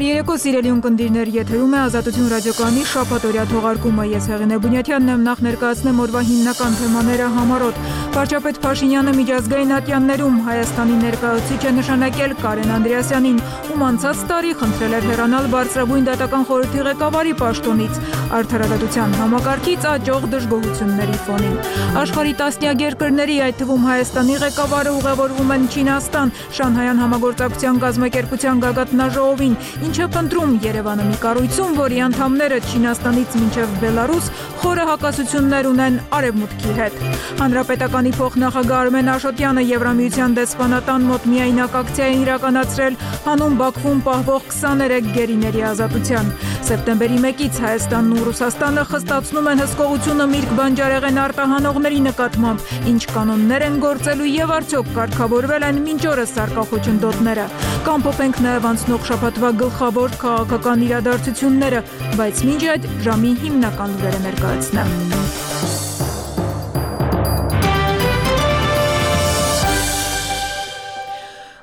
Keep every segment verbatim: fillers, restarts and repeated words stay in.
Բարերեկո սիրելի ունկնդիրներ, եթերում է Ազատություն ռադիոկայանի շաբաթօրյա թողարկումը։ Ես Հեղինե Բունյաթյանն եմ, նախ ներկայացնեմ օրվա հիմնական թեմաները համառոտ։ Վարչապետ Փաշինյանը միջազգային ատյաններում Հայաստանի ներկայացուցիչ է նշանակել Կարեն Անդրեասյանին, ում անցած տարի խնդրել էր հեռանալ Բարձրագույն դատական խորհրդի ղեկավարի պաշտոնից, արդարադատության համակարգից աճող դժգոհությունների ֆոնին։ Աշխարհի տասնյակ երկրների, այդ թվում Հայաստանի ղեկավարը ուղևորվում են Չինաստան, Շանհայյան համագործակցության կազմակերպության գագաթնաժողովին, ինչը փնտրում Երևանը մի կառույցում, որի անդամները Չինաստանից մինչև Բելարուս խորը հակասություններ ունեն Արևմուտքի հետ։ Հանրապետականի փոխնախագահ Արմեն Աշոտյանը Եվրամիության դեսպանատան մոտ միայնակ ակցիա է իրականացրել հանուն Բաքվում պահվող քսաներեք գերիների ազատության։ Սեպտեմբերի մեկից Հայաստանն ու Ռուսաստանը խստացնում են հսկողությունը Միրգ բանջարեղեն արտահանողների նկատմամբ, ինչ կանոններ են գործելու եւ արդյոք կարգավորվել են մինչ օրս սարկախոչնդոտները։ Կամփոփենք նաեւ անցնող շաբաթվա գլխավոր քաղաքական իրադարձությունները, բայց մինչ այդ ժամի հիմնական լուրերը ներկայացնեմ։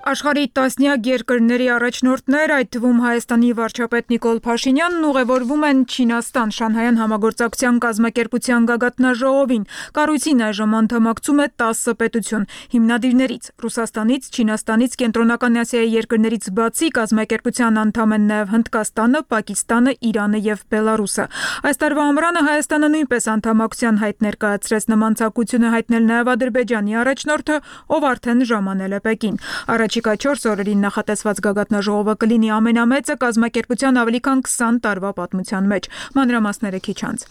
Աշխարհի տասնյակ երկրների առաջնորդներ, այդ թվում Հայաստանի վարչապետ Նիկոլ Փաշինյանն ուղևորվում են Չինաստան, Շանհայյան համագործակցության կազմակերպության գագաթնաժողովին։ Կառույցին այժմ անդամակցում է տասը պետություն։ Հիմնադիրներից Ռուսաստանից, Չինաստանից, Կենտրոնական Ասիայի երկրներից բացի կազմակերպության անդամ են նաև Հնդկաստանը, Պակիստանը, Իրանը եւ Բելարուսը։ Այս տարվա ամռանը Հայաստանը նույնպես անդամակցության հայտ ներկայացրեց, նման ցանկություն է հայտնել նաև Ադրբեջանի առաջնորդը, ով արդեն ժամանել է Պեկին։ Առաջիկա չորս օրերին նախատեսված գագաթնաժողովը կլինի ամենամեծը կազմակերպության ավելի քան քսան տարվա պատմության մեջ։ Մանրամասները քիչ անց։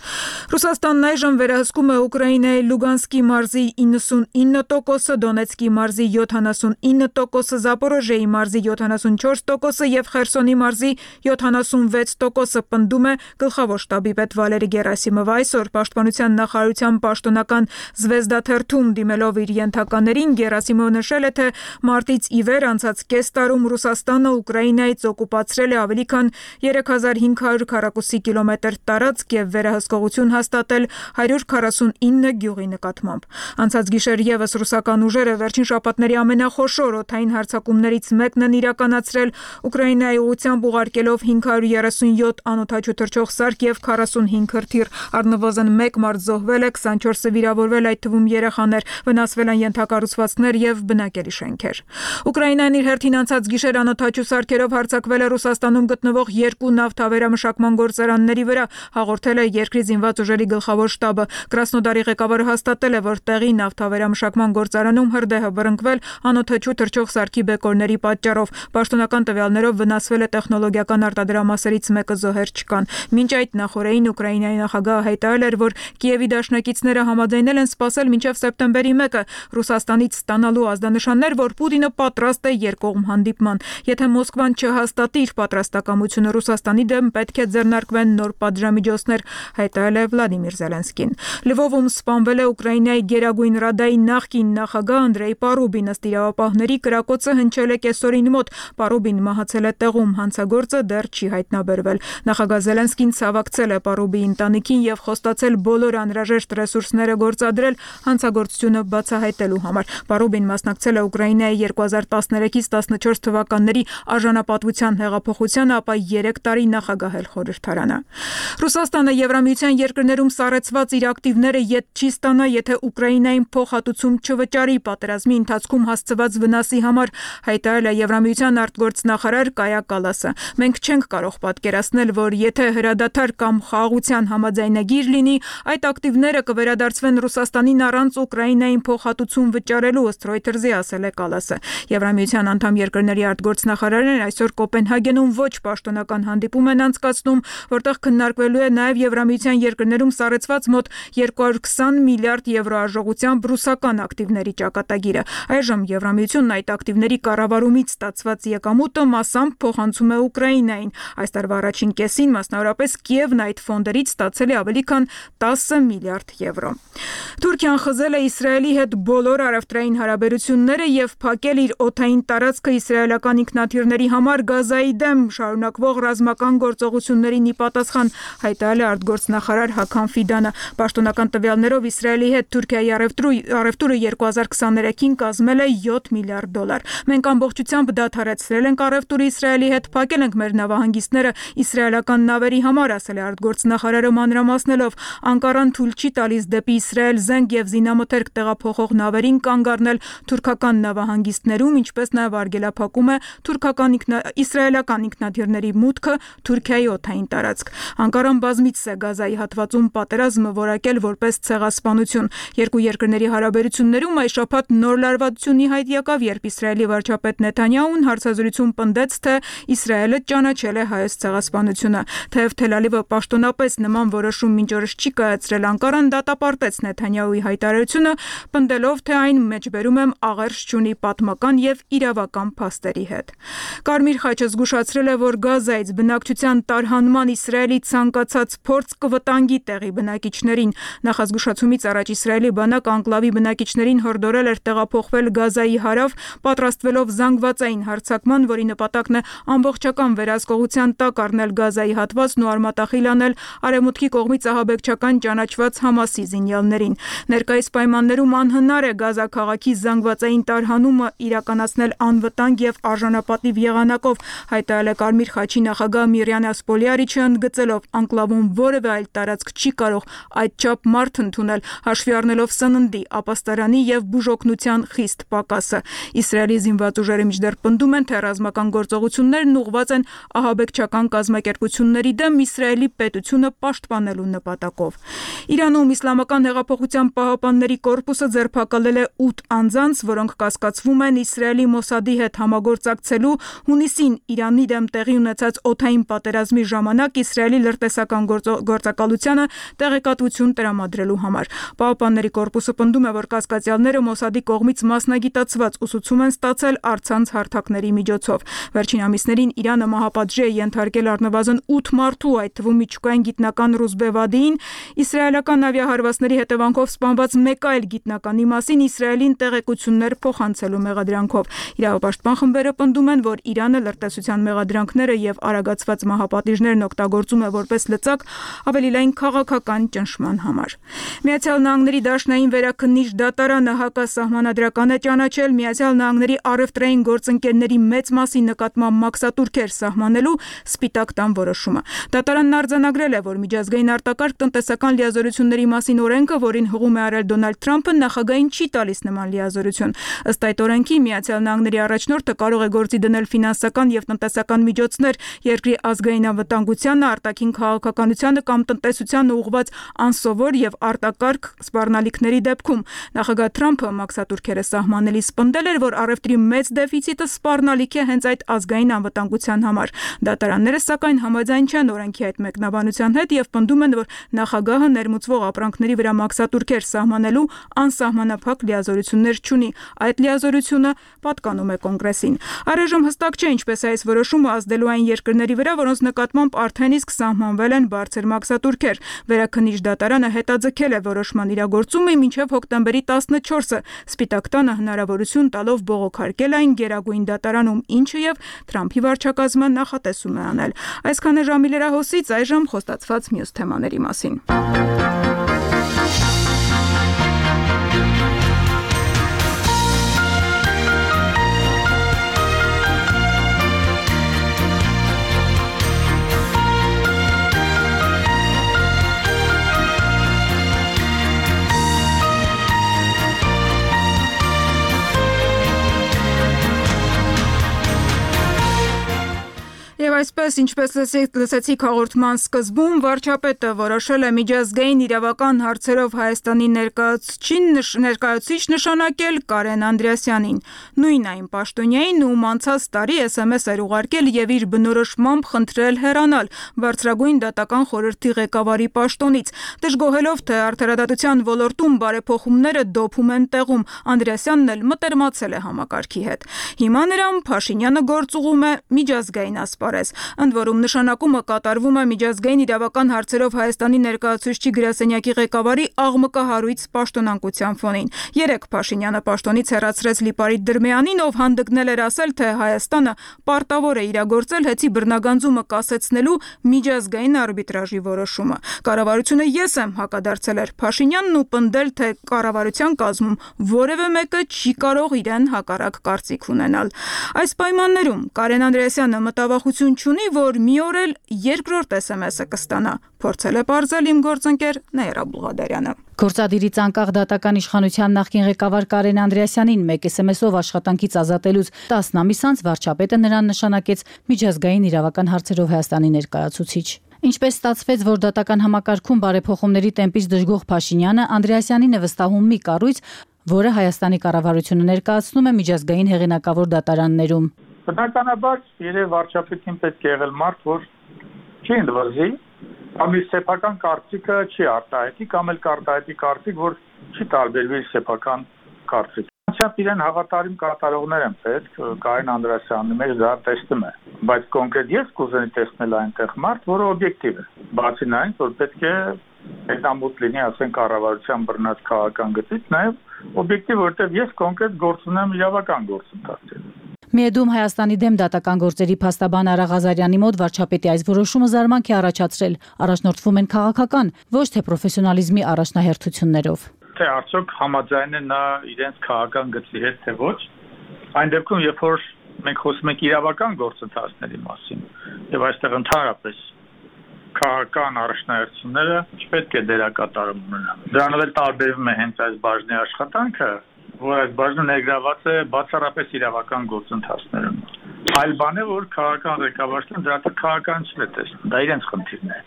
Ռուսաստանն այժմ վերահսկում է Ուկրաինայի Լուգանսկի մարզի իննսունինը տոկոսը, Դոնեցկի մարզի յոթանասունինը տոկոսը, Զապորոժիայի մարզի յոթանասունչորս տոկոսը եւ Խերսոնի մարզի յոթանասունվեց տոկոսը, պնդում է գլխավոր շտաբի պետ Վալերի Գերասիմովը։ Այսօր Պաշտպանության նախարարության պաշտոնական Զվեզդա թերթում դիմելով իր ենթականերին, Գերասիմովը նշել է, թե մարտից ի վեր անցած կես տարում Ռուսաստանը Ուկրաինայից օկուպացրել է ավելի քան երեք հազար հինգ հարյուր քառակուսի կիլոմետր տարածք եւ վերահսկողություն հաստատել հարյուր քառասունինը գյուղի նկատմամբ։ Անցած գիշեր եւս ռուսական ուժերը վերջին շաբաթների ամենախոշոր օդային հարձակումներից մեկն են իրականացրել Ուկրաինայի ուղղությամբ, ուղարկելով հինգ հարյուր երեսունյոթ անօդաչու թռչող սարք եւ քառասունհինգ հրթիռ։ Առնվազն մեկ մարդ զոհվել է, քսանչորսը վիրավորվել, այդ թվում երեխաներ, վնասվել են ենթակառուցվածքներ եւ բնակելի շենքեր։ Ուկրաինան իր հերթին անցած գիշեր անօդաչու սարքերով հարձակվել է Ռուսաստանում գտնվող երկու նավթավերամշակման գործարանների վրա, հաղորդել է երկրի զինված ուժերի գլխավոր շտաբը։ Կրասնոդարի ղեկավարը հաստատել է, որ տեղի նավթավերամշակման գործարանում հրդեհը բռնկվել անօդաչու թռչող սարքի բեկորների պատճառով։ Պաշտոնական տվյալներով վնասվել է տեխնոլոգիական արտադրամասերից մեկը, զոհեր չկան։ Մինչ այդ նախորդին Ուկրաինայի նախագահը հայտարարել էր, որ Կիևի դաշնակիցները համաձայնել են սպասել մինչև սեպտեմբերի մեկը Ռուսաստանից ստանալու ազդանշաններ, որ Պուտինը պատրաստ է երկկողմ հանդիպման։ Եթե Մոսկվան չհաստատի իր պատրաստակամությունը Ռուսաստանի դեմ, պետք է ձեռնարկվեն նոր պատժամիջոցներ, հայտարարել է Վլադիմիր Զելենսկին։ Լվովում սպանվել է Ուկրաինայի Գերագույն Ռադայի նախկին նախագահ Անդրեյ Պարուբին, ըստ իրավապահների կրակոցը հնչել է կեսօրին մոտ։ Պարուբին մահացել է տեղում, հանցագործը դեռ չի հայտնաբերվել։ Նախագահ Զելենսկին ցավակցել է Պարուբիի ընտանիքին եւ խոստացել բոլոր անհրաժեշտ ռեսուրսները գործադրել հանցագործությունը բացահայտելու համար։ Պարուբին մասնակցել է Ուկրաինայի երկու հազար տասներեքից տասնչորս թվականների արժանապատվության հեղափոխությանը, ապա երեք տարի նախագահել խորհրդարանը։ Ռուսաստանը Եվրամիության երկրներում սառեցված իր ակտիվները ետ չի ստանա, եթե Ուկրաինային փոխհատուցում չվճարի պատերազմի ընթացքում հասցված վնասի համար, հայտարարել է Եվրամիության արտգործնախարար Կայա Կալասը։ Մենք չենք կարող պատկերացնել, որ եթե հրադադար կամ խաղաղության համաձայնագիր լինի, այդ ակտիվները կվերադարձվեն Ռուսաստանին առանց Ուկրաինային փոխհատուցում վճարելու, ըստ Reuters-ի ասել է Կալասը։ Եվրամիության անդամ երկրների արտգործնախարարներն այսօր Կոպենհագենում ոչ պաշտոնական հանդիպում են անցկացնում, որտեղ քննարկվելու է նաև Եվրամիության երկրներում սառեցված մոտ երկու հարյուր քսան միլիարդ եվրո արժողությամբ ռուսական ակտիվների ճակատագիրը։ Այժմ Եվրամիությունն այդ ակտիվների կառավարումից ստացված եկամուտը մասամբ փոխանցում է Ուկրաինային։ Այս տարվա առաջին կեսին մասնավորապես Կիևն այդ ֆոնդերից ստացել է ավելի քան տասը միլիարդ եվրո։ Թուրքիան խզել է Իսրայելի հետ բոլոր առևտրային հարաբերությունները եւ փակել իր օդ օդային տարածքը իսրայելական ինքնաթիռների համար Գազայի դեմ շարունակվող ռազմական գործողություններին ի պատասխան, հայտարարել է արտգործնախարար Հական Ֆիդանը։ Պաշտոնական տվյալներով Իսրայելի հետ Թուրքիայի առևտուրը երկու հազար քսաներեքին կազմել է յոթ միլիարդ դոլար։ Մենք ամբողջությամբ դադարեցրել ենք առևտուրը Իսրայելի հետ, փակել ենք մեր նավահանգիստները իսրայելական նավերի համար, ասել է արտգործնախարարը մանրամասնելով։ Անկարան թույլ չի տալիս դեպի Իսրայել զենք եւ զինամթերք տեղափոխող նավերին կանգ առնել թուրքական նավահանգիստներում, ինչպես նաեւ արգելափակում է թուրքական ինքնա... իսրայելական ինքնաթիռների մուտքը Թուրքիայի օդային տարածք։ Անկարան բազմիցս է Գազայի հատվածում պատերազմը որակել որպես ցեղասպանություն։ Երկու երկրների հարաբերություններում այս շաբաթ նոր լարվածություն ի հայտ եկավ, երբ Իսրայելի վարչապետ Նեթանյահուն հարցազրույցում պնդեց, թե Իսրայելը ճանաչել է հայոց ցեղասպանությունը։ Թեև Թել Ավիվը պաշտոնապես նման որոշում մինչ օրս չի կայացրել, Անկարան դատապարտեց Նեթանյահուի հայտարարությունը, պնդելով, թե այն մեջբերում եմ աղերս չունի պատմական եւ իրավական փաստերի հետ։ Կարմիր խաչը զգուշացրել է, որ Գազայից բնակչության տարհանման Իսրայելի ցանկացած փորձ կվտանգի տեղի բնակիչներին։ Նախազգուշացումից առաջ Իսրայելի բանակը անկլավի բնակիչներին հորդորել էր տեղափոխվել Գազայի հարավ, պատրաստվելով զանգվածային հարձակման, որի նպատակն է ամբողջական վերահսկողության տակ առնել Գազայի հատվածն ու արմատախիլ անել արևմուտքի կողմից ահաբեկչական ճանաչված Համասի զինյալներին։ Ներկայիս պայմաններում անհնար է Գազա քաղաքի զանգվածային տարհանումը իրականացնել անվտանգ եւ արժանապատիվ եղանակով, հայտարարել է Կարմիր խաչի նախագահ Միրյանը Սպոլիարիչը, ընդգծելով, անկլավում որևէ այլ տարածք չի կարող այդչափ մարդ ընդունել, հաշվի առնելով սննդի, ապաստարանի եւ բուժօգնության խիստ պակասը։ Իսրայելի զինված ուժերը մինչդեռ պնդում են, թե ռազմական գործողություններն ուղղված են ահաբեկչական կազմակերպությունների դեմ Իսրայելի պետությունը պաշտպանելու նպատակով։ Իրանում Իսլամական հեղափոխության պահապանների կորպուսը ձերբակալել է ութ անձանց, որոնք կասկածվում են Իսրայելի Մոսադի հետ համագործակցելու հունիսին Իրանի դեմ տեղի ունեցած օդային պատերազմի ժամանակ Իսրայելի լրտեսական գործակալությանը տեղեկատվություն տրամադրելու համար։ Պահապանների կորպուսը պնդում է, որ կասկածյալները Մոսադի կողմից մասնագիտացված ուսուցում են ստացել առցանց հարթակների միջոցով։ Վերջին ամիսներին Իրանը մահապատժի է ենթարկել առնվազն ութ մարդու, այդ թվում միջուկային գիտնական Ռուզբե Վադիին, իսրայելական ավիահարվածների հետևանքով սպանված մեկ այլ գիտնականի մասին Իսրայելին տեղեկություններ փոխանցելու մեղադրանքով։ Իրավապաշտպան խմբերը պնդում են, որ Իրանը լրտեսության մեղադրանքները եւ արագացված մահապատիժներն օգտագործում է որպես լծակ ավելի լայն քաղաքական ճնշման համար։ Միացյալ Նահանգների Դաշնային վերաքննիչ դատարանը հակասահմանադրական է ճանաչել Միացյալ Նահանգների առևտրային գործընկերների մեծ մասի նկատմամբ մաքսատուրքեր սահմանելու Սպիտակ տան որոշումը։ Դատարանն արձանագրել է, որ միջազգային արտակարգ տնտեսական լիազորությունների մասին օրենքը, որին հղում է արել Դոնալդ Թրամփը, նախագահին չի տալիս նման լիազորություն։ Ըստ այդ օրենքի Միացյալ Նահանգների առաջնորդը կարող է գործի դնել ֆինանսական եւ տնտեսական միջոցներ երկրի ազգային անվտանգությանը, արտաքին քաղաքականությանը կամ տնտեսությանը ուղղված անսովոր եւ արտակարգ սպառնալիքների դեպքում։ Նախագահ Թրամփը մաքսատուրքերը սահմանելիս պնդել էր, որ առևտրի մեծ դեֆիցիտը սպառնալիք է հենց այդ ազգային անվտանգության համար։ Դատարանները սակայն համաձայն չեն օրենքի այդ մեկնաբանության հետ եւ պնդում են, որ նախագահը ներմուծվող ապրանքների վրա մաքսատուրքեր սահմանելու անսահմանափակ լիազորություններ չունի։ Այդ լիազորությունը պատկանում է Կոնգրեսին։ Առայժմ հստակ չէ ինչպես է այս որոշումը ազդելու այն երկրների վրա, որոնց նկատմամբ արդեն իսկ սահմանվել են բարձր մաքսատուրքեր։ Վերաքննիչ դատարանը հետաձգել է որոշման իրագործումը մինչև հոկտեմբերի տասնչորսը, Սպիտակ տանը հնարավորություն տալով բողոքարկել այն Գերագույն դատարանում, ինչը եւ Թրամփի վարչակազմը նախատեսում է անել։ Այսքան է ժամի լրահոսից, այժմ խոստացված մյուս թեմաների մասին։ Եվ այսպես, ինչպես լսեցիք հաղորդման սկզբում, վարչապետը որոշել է միջազգային իրավական հարցերով Հայաստանի ներկայացուցիչ նշանակել Կարեն Անդրեասյանին, նույն այն պաշտոնյային, ում անցած տարի էս էմ էս էր ուղարկել եւ իր բնորոշմամբ խնդրել հեռանալ Բարձրագույն դատական խորհրդի ղեկավարի պաշտոնից, դժգոհելով, թե արդարադատության ոլորտում բարեփոխումները դոփում են տեղում, Անդրեասյանն էլ մտերմացել է համակարգի հետ։ Հիմա նրան Փաշինյանը գործուղում է միջազգային ասպարեզ։ այսպես։ Ընդ որում նշանակումը կատարվում է միջազգային իրավական հարցերով Հայաստանի ներկայացուցչի գրասենյակի ղեկավարի աղմկահարույց պաշտոնանկության ֆոնին։ Երեկ Փաշինյանը պաշտոնից հեռացրեց Լիպարիտ Դրմեյանին, ով հանդգնել էր ասել, թե Հայաստանը պարտավոր է իրագործել հեծի բռնագանձումը կասեցնելու միջազգային արբիտրաժի որոշումը։ Կառավարությունը ես եմ հակադարձել էր Փաշինյանն ու պնդել, թե կառավարության կազմում որևէ մեկը չի կարող իրեն հակառակ կարծիք ունենալ։ Այս պայմաններում Կարեն Անդրեասյանը մտավախություն չունի, որ մի օր էլ երկրորդ էս էմ էսը կստանա, փորձել է պարզել իմ գործընկեր Նաիրա Բուլղադարյանը։ Գործադիրից անկախ դատական իշխանության նախկին ղեկավար Կարեն Անդրեասյանին մեկ էս էմ էսով աշխատանքից ազատելուց տասն ամիս անց վարչապետը նրան նշանակեց միջազգային իրավական հարցերով Հայաստանի ներկայացուցիչ։ Ինչպես ստացվեց, որ դատական համակարգում բարեփոխումների տեմպից դժգոհ Փաշինյանը Անդրեասյանին է վստահում մի կառույց, որը Հայաստանի կառավարությունը ներկայացնում է միջազգային հեղինակավոր դատարաններում։ Բնականաբար երևի վարչապետին պետք է եղել մարդ, որ չի ընդվզի, կամ իր սեփական կարծիքը չի արտահայտի, կամ էլ կարտահայտի կարծիք, որ չի տարբերվի իր սեփական կարծիք։ Անցյալ իրեն հավատարիմ կատարողներ են պետք, Կարեն Անդրեասյանը մեր դա տեսնում է, բայց կոնկրետ ես կուզենայի տեսնել այնտեղ մարդ, որը օբյեկտիվ է, բացի նրանից, որ պետք է հետամուտ լինի, ասենք, կառավարության բռնած քաղաքական գծից, նաև օբյեկտիվ, որտեղ ես կոնկրետ գործ ունեմ իրավական գործընթացի։ Միեդում Հայաստանի դեմ դատական գործերի փաստաբան Արա Ղազարյանի մոտ վարչապետի այս որոշումը զարմանք է առաջացրել, առաջնորդվում են քաղաքական, ոչ թե պրոֆեսիոնալիզմի առաջնահերթություններով։ Թե արդյոք համաձայն է նա իրենց քաղաքական գծի հետ, թե ոչ, այն դեպքում, երբ որ մենք խոսում ենք իրավական գործընթացների մասին, եւ այստեղ ընդհանրապես քաղաքական առաջնահերթությունները չպետք է դերակատարում ունենան։ Դրանով էլ տարբերվում է հենց այս բաժնի աշխատանքը, որ այս բաժնը ներգրաված է բացառապես իրավական գործընթացներում։ Այլ բան է, որ քաղաքական ղեկավարությունը դրա տակ քաղաքականություն է տեսնում, դա իրենց խնդիրն է։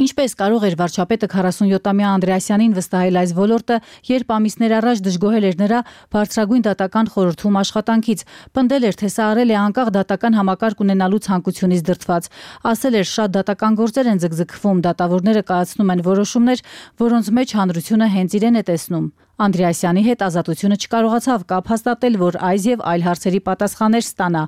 Ինչպես կարող էր վարչապետը քառասունյոթամյա Անդրեասյանին վստահել այս ոլորտը, երբ ամիսներ առաջ դժգոհել էր նրա բարձրագույն դատական խորհրդում աշխատանքից, պնդել էր, թե սա արել է անկախ դատական համակարգ ունենալու ցանկությունից դրդված, ասել էր, շատ դատական գործեր են ձգձգվում, դատավորները կայացնում են որոշումներ, որոնց մեջ հանրությունը հենց իրեն է տեսնում։ Անդրեասյանի հետ Ազատությունը չկարողացավ կապ հաստատել, որ այս եւ այլ հարցերի պատասխաններ ստանա։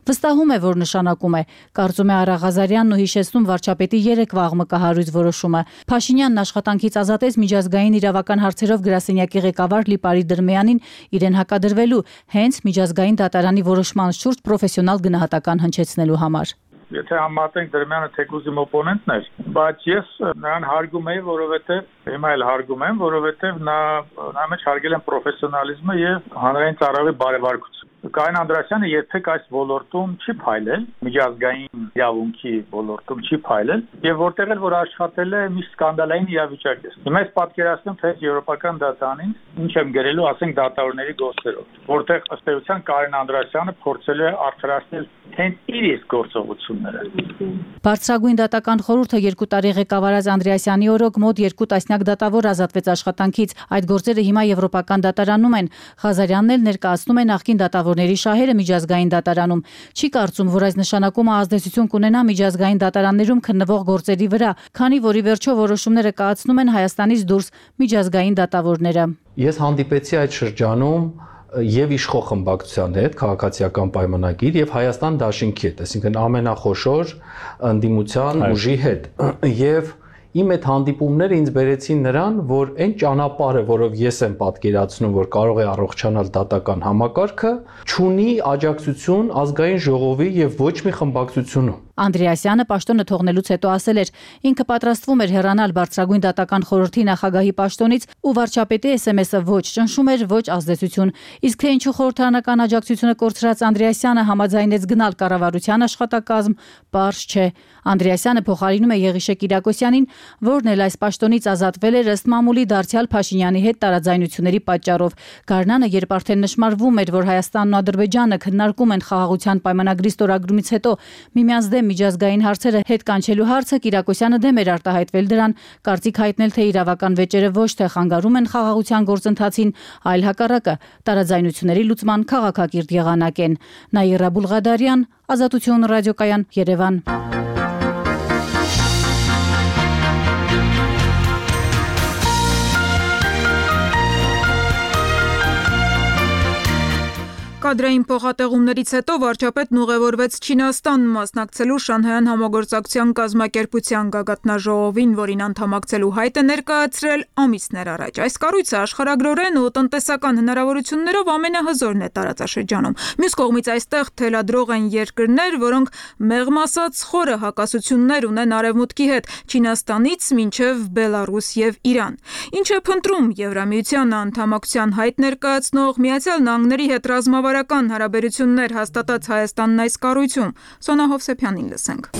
Վստահում է, որ նշանակում է, կարծում է Արա Ղազարյանն ու հիշեցնում վարչապետի երեկվա աղմկահարույց որոշումը։ Փաշինյանն աշխատանքից ազատեց միջազգային իրավական հարցերով գրասենյակի ղեկավար Լիպարիտ Դրմեյանին իրեն հակադրվելու հենց միջազգային դատարանի որոշման շուրջ պրոֆեսիոնալ գնահատական հնչեցնելու համար։ Եթե համատենք Դրմյանը թեկուզ իմ օպոնենտն էր, բայց ես նրան հարգում եի, որովհետև հիմա էլ հարգում եմ, որովհետև նա նա մեջ հարգել եմ պրոֆեսիոնալիզմը եւ հանրային ծառայողի բարեվարկությունը։ Կարեն Անդրեասյանը երբեք այս ոլորտում չի փայլել, միջազգային իրավունքի ոլորտում չի փայլել, եւ որտեղ էլ որ աշխատել է, մի սկանդալային իրավիճակ է։ Հիմա ես պատկերացնում, թե եվրոպական դատարանին ինչ եմ գրելու, ասենք, դատավորների գործերով, որտեղ ըստ էության Կարեն Անդրեասյանը փորձել է արդարացնել հենց իր իսկ գործողությունները։ Բարձրագույն դատական խորհուրդը երկու տարի ղեկավարած Անդրեասյանի օրոք մոտ երկու տասնյակ դատավոր ազատվեց աշխատանքից։ Այդ գործերը հիմա եվրոպական դատարանում են։ Ղազարյանն էլ ներկայացնում է նախկին դատավորների շահերը միջազգային դատարանում։ Չի կարծում, որ այս նշանակումը ազդեցություն կունենա միջազգային դատարաններում քննվող գործերի վրա, քանի որ ի վերջո որոշումները կայացնում են Հայաստանից դուրս միջազգային դատավորները։ Ես հանդիպեցի այդ շրջանում եւ իշխող խմբակցության հետ, քաղաքացիական պայմանագիր եւ Հայաստան դաշինքի հետ, այսինքն ամենախոշոր ընդդիմության ուժի հետ։ Եվ իմ այդ հանդիպումները ինձ բերեցին նրան, որ այն ճանապարհը, որով ես եմ պատկերացնում, որ կարող է առողջանալ դատական համակարգը, չունի աջակցություն ազգային ժողովի եւ ոչ մի խմբակցությունում։ Անդրեասյանը պաշտոնը թողնելուց հետո ասել էր, ինքը պատրաստվում էր հեռանալ բարձրագույն դատական խորհրդի նախագահի պաշտոնից ու վարչապետի էս էմ էսը ոչ ճնշում էր, ոչ ազդեցություն։ Իսկ թե ինչու խորհրդարանական աջակցությունը կորցրած Անդրեասյանը համաձայնեց գնալ կառավարության աշխատակազմ, պարզ չէ։ Անդրեասյանը փոխարինում է Եղիշե Կիրակոսյանին, որն էլ այս պաշտոնից ազատվել էր ըստ մամուլի դարձյալ Փաշինյանի հետ տարաձայնությունների պատճառով։ Գարնանը, երբ արդեն նշмарվում էր, որ Հայաստանն ու Ադրբեջանը քննարկում են խաղաղության պայմանագրի ստորագրումից հետո միմյանց դեմ միջազգային հարցերը հետ կանչելու հարցը, Կիրակոսյանը դեմ էր արտահայտվել դրան, կարծիք հայտնել, թե իրավական վեճերը ոչ թե խանգարում են խաղաղության գործընթացին, այլ հակառակը տարաձայնությունների լուծման քաղաքակիրթ եղանակ են։ Նաիրա Բուլղադարյան, Ազատություն ռադիոկայան, Երևան։ Կադրային փոխատեղումներից հետո վարչապետն ուղևորվեց Չինաստան մասնակցելու Շանհայյան համագործակցության կազմակերպության գագաթնաժողովին, որին անդամակցելու հայտ է ներկայացրել ամիսներ առաջ։ Այս կառույցը աշխարհագրորեն ու տնտեսական հնարավորություններով ամենահզորն է տարածաշրջանում։ Մյուս կողմից այստեղ թելադրող են երկրներ, որոնք մեղմ ասած խորը հակասություններ ունեն Արևմուտքի հետ՝ Չինաստանից մինչև Բելարուս եւ Իրան։ Ինչ է փնտրում Եվրամիության անդամակցության հայտ ներկայացնող Միացյալ Նահանգների հետ ռազմավարական հարաբերություններ հաստատած Հայաստանն այս կառույցում։ Սոնա Հովսեփյանին լսենք։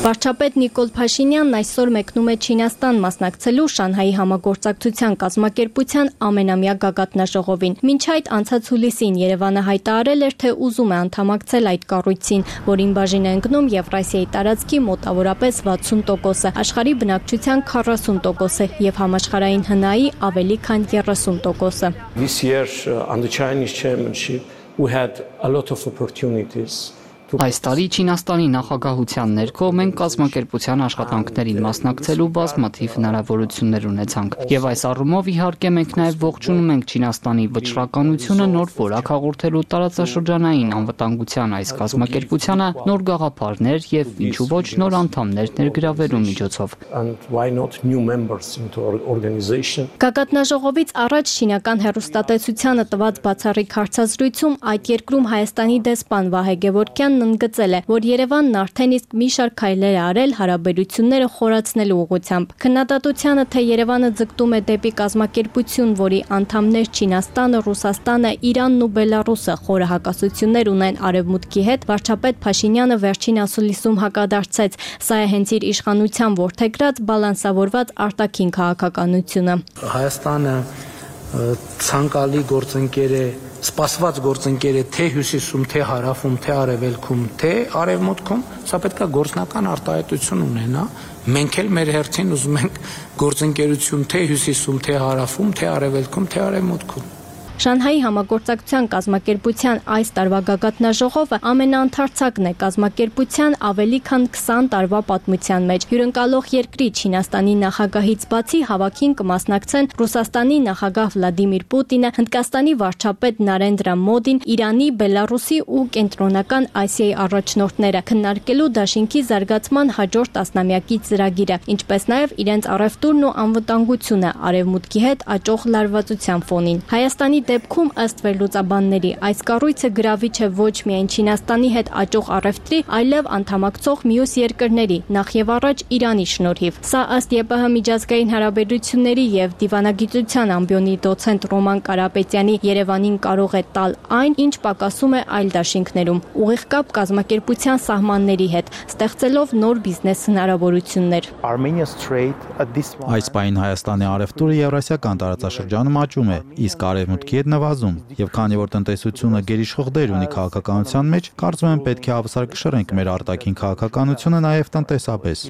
Վարչապետ Նիկոլ Փաշինյանն այսօր մեկնում է Չինաստան մասնակցելու Շանհայի համագործակցության կազմակերպության ամենամյա գագաթնաժողովին։ Մինչ այդ անցած հուլիսին Երևանը հայտարարել էր, թե ուզում է անդամակցել այդ կառույցին, որին բաժին է ընկնում Եվրասիայի տարածքի մոտավորապես վաթսուն տոկոսը, աշխարհի բնակչության քառասուն տոկոսը եւ համաշխարհային հնայի ավելի քան երեսուն տոկոսը։ This year under Chinese chairmanship we had a lot of opportunities. Այս տարի Չինաստանի նախագահության ներքո մենք կազմակերպության աշխատանքներին մասնակցելու բազմաթիվ հնարավորություններ ունեցանք։ Եվ այս առումով իհարկե մենք նաև ողջունում ենք Չինաստանի վճռականությունը նոր որակ հաղորդելու տարածաշրջանային անվտանգության այս կազմակերպությանը նոր գաղափարներ եւ ինչու ոչ նոր անդամներ ներգրավելու միջոցով։ Գագաթնաժողովից առաջ Չինական հեռուստատեսությանը տված բացառիկ հարցազրույցում այդ երկրում Հայաստանի դեսպան Վահե Գևորգյանն ընդգծել է, որ Երևանն արդեն իսկ մի շարք քայլեր է արել հարաբերությունները խորացնելու ուղղությամբ։ Քննադատությանը, թե Երևանը ձգտում է դեպի կազմակերպություն, որի անդամներ Չինաստանը, Ռուսաստանը, Իրանն ու Բելարուսը խորը հակասություններ ունեն Արևմուտքի հետ, վարչապետ Փաշինյանը վերջին ասուլիսում հակադարձեց. սա է հենց իր իշխանության որդեգրած բալանսավորված արտաքին քաղաքականությունը։ Հայաստանը ցանկալի գործընկեր է, սպասված գործընկեր է թե հյուսիսում, թե հարավում, թե արևելքում, թե արևմուտքում, սա պետք է գործնական արտահայտություն ունենա։ Մենք էլ մեր հերթին ուզում ենք գործընկերություն թե հյուսիսում, թե հարավում, թե արևելքում, թե արևմուտքում։ Շանհայի համագործակցության կազմակերպության այս տարվա գագաթնաժողովը ամենաընթարցակն է կազմակերպության ավելի քան քսան տարվա պատմության մեջ։ Հյուրընկալող երկրի Չինաստանի նախագահից բացի հավաքին կմասնակցեն Ռուսաստանի նախագահ Վլադիմիր Պուտինը, Հնդկաստանի վարչապետ Նարենդրա Մոդին, Իրանի, Բելարուսի ու Կենտրոնական Ասիայի առաջնորդները, քննարկելու դաշինքի զարգացման հաջորդ տասնամյակի ծրագիրը, ինչպես նաև իրենց առևտուրն ու անվտանգությունը Արևմուտքի հետ աճող լարվածության ֆոնին։ Հայաստանի դեպքում ըստ վերլուծաբանների այս կառույցը գրավիչ է ոչ միայն Չինաստանի հետ աճող առևտրի, այլև անդամակցող մյուս երկրների, նախ եւ առաջ Իրանի շնորհիվ։ Սա ըստ ԵՊՀ միջազգային հարաբերությունների եւ դիվանագիտության ամբիոնի դոցենտ Ռոման Կարապետյանի Երևանին կարող է տալ այն, ինչ պակասում է այլ դաշինքներում՝ ուղիղ կապ կազմակերպության սահմանների հետ, ստեղծելով նոր բիզնես հնարավորություններ։ Այս պահին Հայաստանի առևտուրը եվրասիական տարածաշրջանում աճում է, իսկ արևմուտքի հետ նվազում, եւ քանի որ տնտեսությունը գերիշխող դեր ունի քաղաքականության մեջ, կարծում եմ պետք է հավասար կշռենք մեր արտաքին քաղաքականությունը նաեւ տնտեսապես։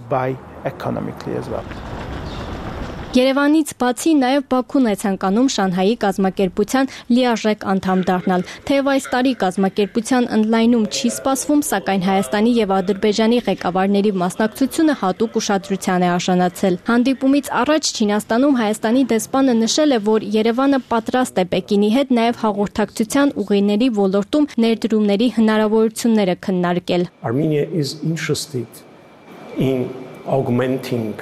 Երևանից բացի նաև Բաքուն է ցանկանում Շանհայի կազմակերպության լիարժեք անդամ դառնալ։ Թեև այս տարի կազմակերպության ընդլայնում չի սպասվում, սակայն Հայաստանի եւ Ադրբեջանի ղեկավարների մասնակցությունը հատուկ ուշադրության է արժանացել։ Հանդիպումից առաջ Չինաստանում Հայաստանի դեսպանը նշել է, որ Երևանը պատրաստ է Պեկինի հետ նաև հաղորդակցության ուղիների ոլորտում ներդրումների հնարավորությունները քննարկել։ Armenia is interested in augmenting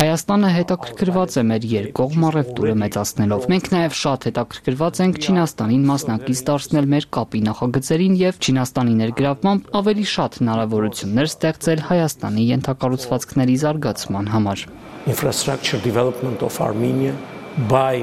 Հայաստանը հետաքրքրված է մեր երկկողմ առևտուրը մեծացնելով։ Մենք նաև շատ հետաքրքրված ենք Չինաստանին մասնակից դարձնել մեր կապի նախագծերին եւ Չինաստանի ներգրավմամբ ավելի շատ հնարավորություններ ստեղծել Հայաստանի ենթակառուցվածքների զարգացման համար։ Infrastructure development of Armenia by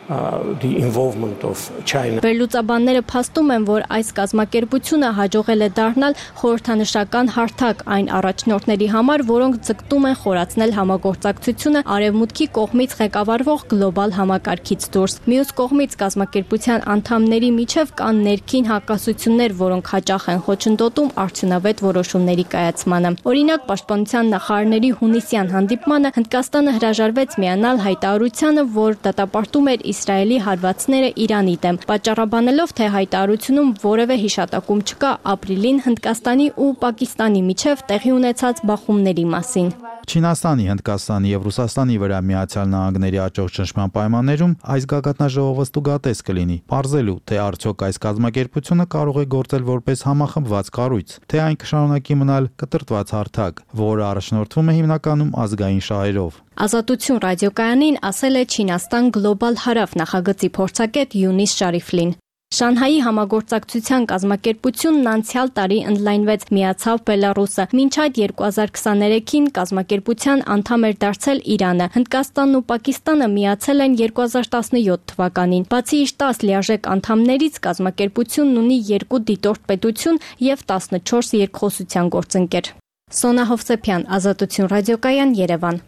Uh, the involvement of China. Վերլուծաբանները փաստում են, որ այս կազմակերպությունը հաջողել է դառնալ խորհրդանշական հարթակ այն առաջնորդների համար, որոնք ձգտում են խորացնել համագործակցությունը արևմուտքի կողմից ղեկավարվող գլոբալ համակարգից դուրս։ Մյուս կողմից կազմակերպության անդամների միջև կան ներքին հակասություններ, որոնք հաճախ են խոչընդոտում արդյունավետ որոշումների կայացմանը։ Օրինակ, պաշտպանության նախարարների հունիսյան հանդիպմանը Հնդկաստանը հրաժարվեց միանալ հայտարարությանը, որ դատապարտում էր Իսրայելի հարվածները Իրանի դեմ, պատճառաբանելով, թե հայտարարությունում որևէ հիշատակում չկա ապրիլին Հնդկաստանի ու Պակիստանի միջև տեղի ունեցած բախումների մասին։ Չինաստանի, Հնդկաստանի եւ Ռուսաստանի վրա Միացյալ Նահանգների աճող ճնշման պայմաններում այս գագաթնաժողովը ստուգատես կլինի, պարզելու, թե արդյոք այս կազմակերպությունը կարող է գործել որպես համախմբված կառույց, թե այն կշարունակի մնալ կտրտված հարթակ, որը առաջնորդվում է հիմնականում ազգային շահերով։ Ազատություն ռադիոկայանին ասել է Չինաստան Գլոբալ Հարավ նախագծի փորձագետ Յունիս Շարիֆլին։ Շանհայի համագործակցության կազմակերպությունն անցյալ տարի ընդլայնվեց, միացավ Բելարուսը։ Մինչ այդ երկու հազար քսաներեքին կազմակերպության անդամ էր դարձել Իրանը։ Հնդկաստանն ու Պակիստանը միացել են երկու հազար տասնյոթ թվականին։ Բացի իր տասը լիարժեք անդամներից, կազմակերպությունն ունի երկու դիտորդ պետություն եւ տասնչորս երկխոսության գործընկեր։ Սոնա Հովսեփյան, Ազատություն ռադիոկայան, Երևան։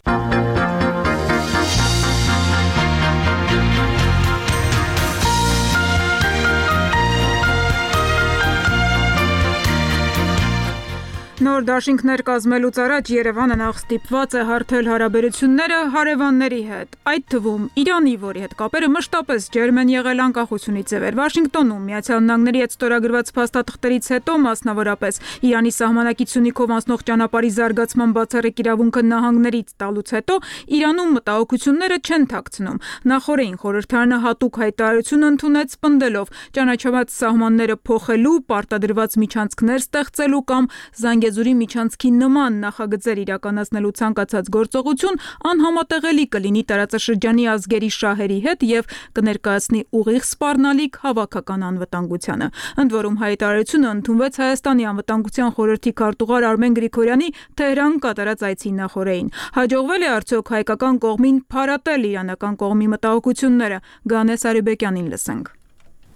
Նոր դաշինքներ կազմելուց առաջ Երևանը նախ ստիպված է հարթել հարաբերությունները հարևանների հետ, այդ թվում Իրանի, որի հետ կապերը մշտապես ջերմ են եղել անկախությունից ի վեր։ Վաշինգտոնում Միացյալ Նահանգների հետ ստորագրված փաստաթղթերից հետո, մասնավորապես Իրանի սահմանակիցունիքով անցնող ճանապարհի զարգացման բացառիկ իրավունքը նահանգներից տալուց հետո, Իրանում մտահոգությունները չեն թաքցնում։ Նախորդին խորհրդարանը հատուկ հայտարարություն ընդունեց, պնդելով ճանաչված սահմանները փոխելու, պարտադրված միջանցքներ ստեղծելու կամ Զանգեզուրի միջանցքի նման նախագծեր իրականացնելու ցանկացած գործողություն անհամատեղելի կլինի տարածաշրջանի ազգերի շահերի հետ եւ կներկայացնի ուղիղ սպառնալիք հավաքական անվտանգությանը։ Ընդ որում հայտարարությունը ընդունվեց Հայաստանի անվտանգության խորհրդի քարտուղար Արմեն Գրիգորյանի Թեհրան կատարած այցի նախօրեին։ Հաջողվել է արդյոք հայկական կողմին փարատել իրանական կողմի մտահոգությունները։ Գանես Արիբեկյանին լսենք։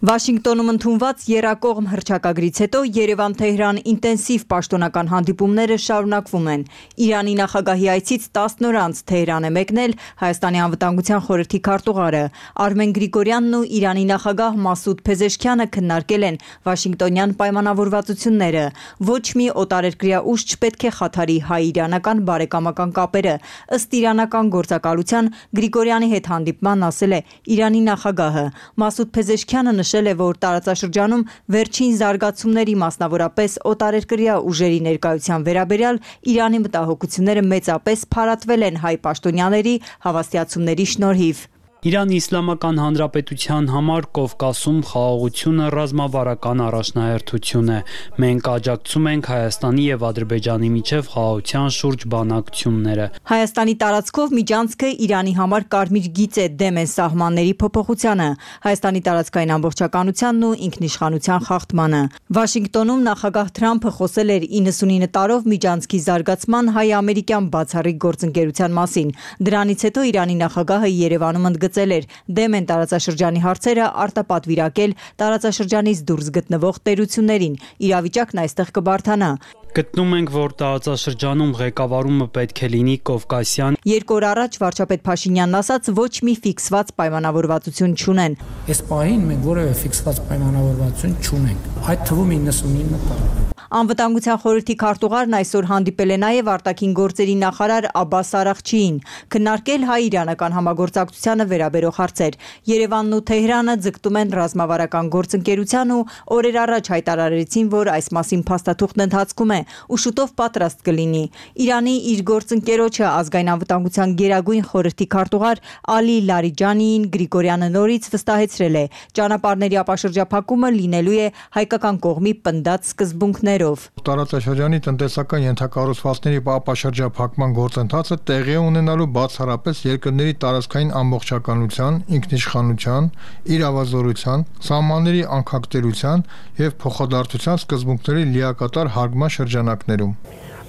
Վաշինգտոնում ընդունված եռակողմ հռչակագրից հետո Երևան-Թեհրան ինտենսիվ պաշտոնական հանդիպումները շարունակվում են։ Իրանի նախագահի այցից տասն օր անց Թեհրան է մեկնել Հայաստանի անվտանգության խորհրդի քարտուղարը։ Արմեն Գրիգորյանն ու Իրանի նախագահ Մասուդ Փեզեշքյանը քննարկել են Վաշինգտոնյան պայմանավորվածությունները։ Ոչ մի օտարերկրյա ուժ չպետք է խաթարի հայ-իրանական բարեկամական կապերը։ Ըստ իրանական գործակալության Գրիգորյանի հետ հանդիպման ասել է Իրանի նախագահը։ Մասուդ Փեզեշքյանը նշել է, որ տարածաշրջանում վերջին զարգացումների, մասնավորապես օտարերկրյա ուժերի ներկայության վերաբերյալ Իրանի մտահոգությունները մեծապես փարատվել են հայ պաշտոնյաների հավաստիացումների շնորհիվ։ Իրանի Իսլամական Հանրապետության համար Կովկասում խաղաղությունը ռազմավարական առաջնահերթություն է։ Մենք աջակցում ենք Հայաստանի եւ Ադրբեջանի միջև խաղաղության շուրջ բանակցությունները։ Հայաստանի տարածքով միջանցքը Իրանի համար կարմիր գիծ է, դեմ է սահմանների փոփոխությանը, Հայաստանի տարածքային ամբողջականությանն ու ինքնիշխանության խախտմանը։ Վաշինգտոնում նախագահ Թրամփը խոսել էր իննսունինը տարով միջանցքի զարգացման հայ-ամերիկյան բացառիկ գործընկերության մասին։ Դրանից հետո Իրանի նախագահը Երևանում ընդգծել էր դեմ են տարածաշրջանի հարցերը արտապատվիրակել տարածաշրջանից դուրս գտնվող տերություններին։ Իրավիճակն այստեղ կբարդանա։ Գտնում ենք, որ տարածաշրջանում ղեկավարումը պետք է լինի կովկասյան։ Երկու օր առաջ վարչապետ Փաշինյանն ասաց, ոչ մի ֆիքսված պայմանավորվածություն չունեն։ Այս պահին մենք որևէ ֆիքսված պայմանավորվածություն չունենք։ Այդ թվում իննսունինը տարով։ Անվտանգության խորհրդի քարտուղարն այսօր հանդիպել է նաև արտաքին գործերի նախարար Աբբաս Արաղչիին, քննարկել հայ-իրանական համագործակցությանը վերաբերող հարցեր։ Երևանն ու Թեհրանը ձգտում են ռազմավարական գործընկերության ու օրեր առաջ հայտարարեցին, որ այս մասին փաստաթուղթն ընթացքում է ու շուտով պատրաստ կլինի։ Իրանի իր գործընկերոջը ազգային անվտանգության գերագույն խորհրդի քարտուղար Ալի Լարիջանիին Գրիգորյանը նորից վստահեցրել է, ճանապարհների ապաշրջափակումը լինելու է հայկական կողմի պնդած սկզբունքներով։ Տարածաշրջանի տնտեսական ենթակառուցվածքների ապաշրջափակման գործընթացը տեղի է ունենալու բացառապես երկրների տարածքային ամբողջականության, ինքնիշխանության, իրավազորության, սահմանների անկախտերության եւ փոխադարձության սկզբունքների լիակատար հարգման շրջանակներում։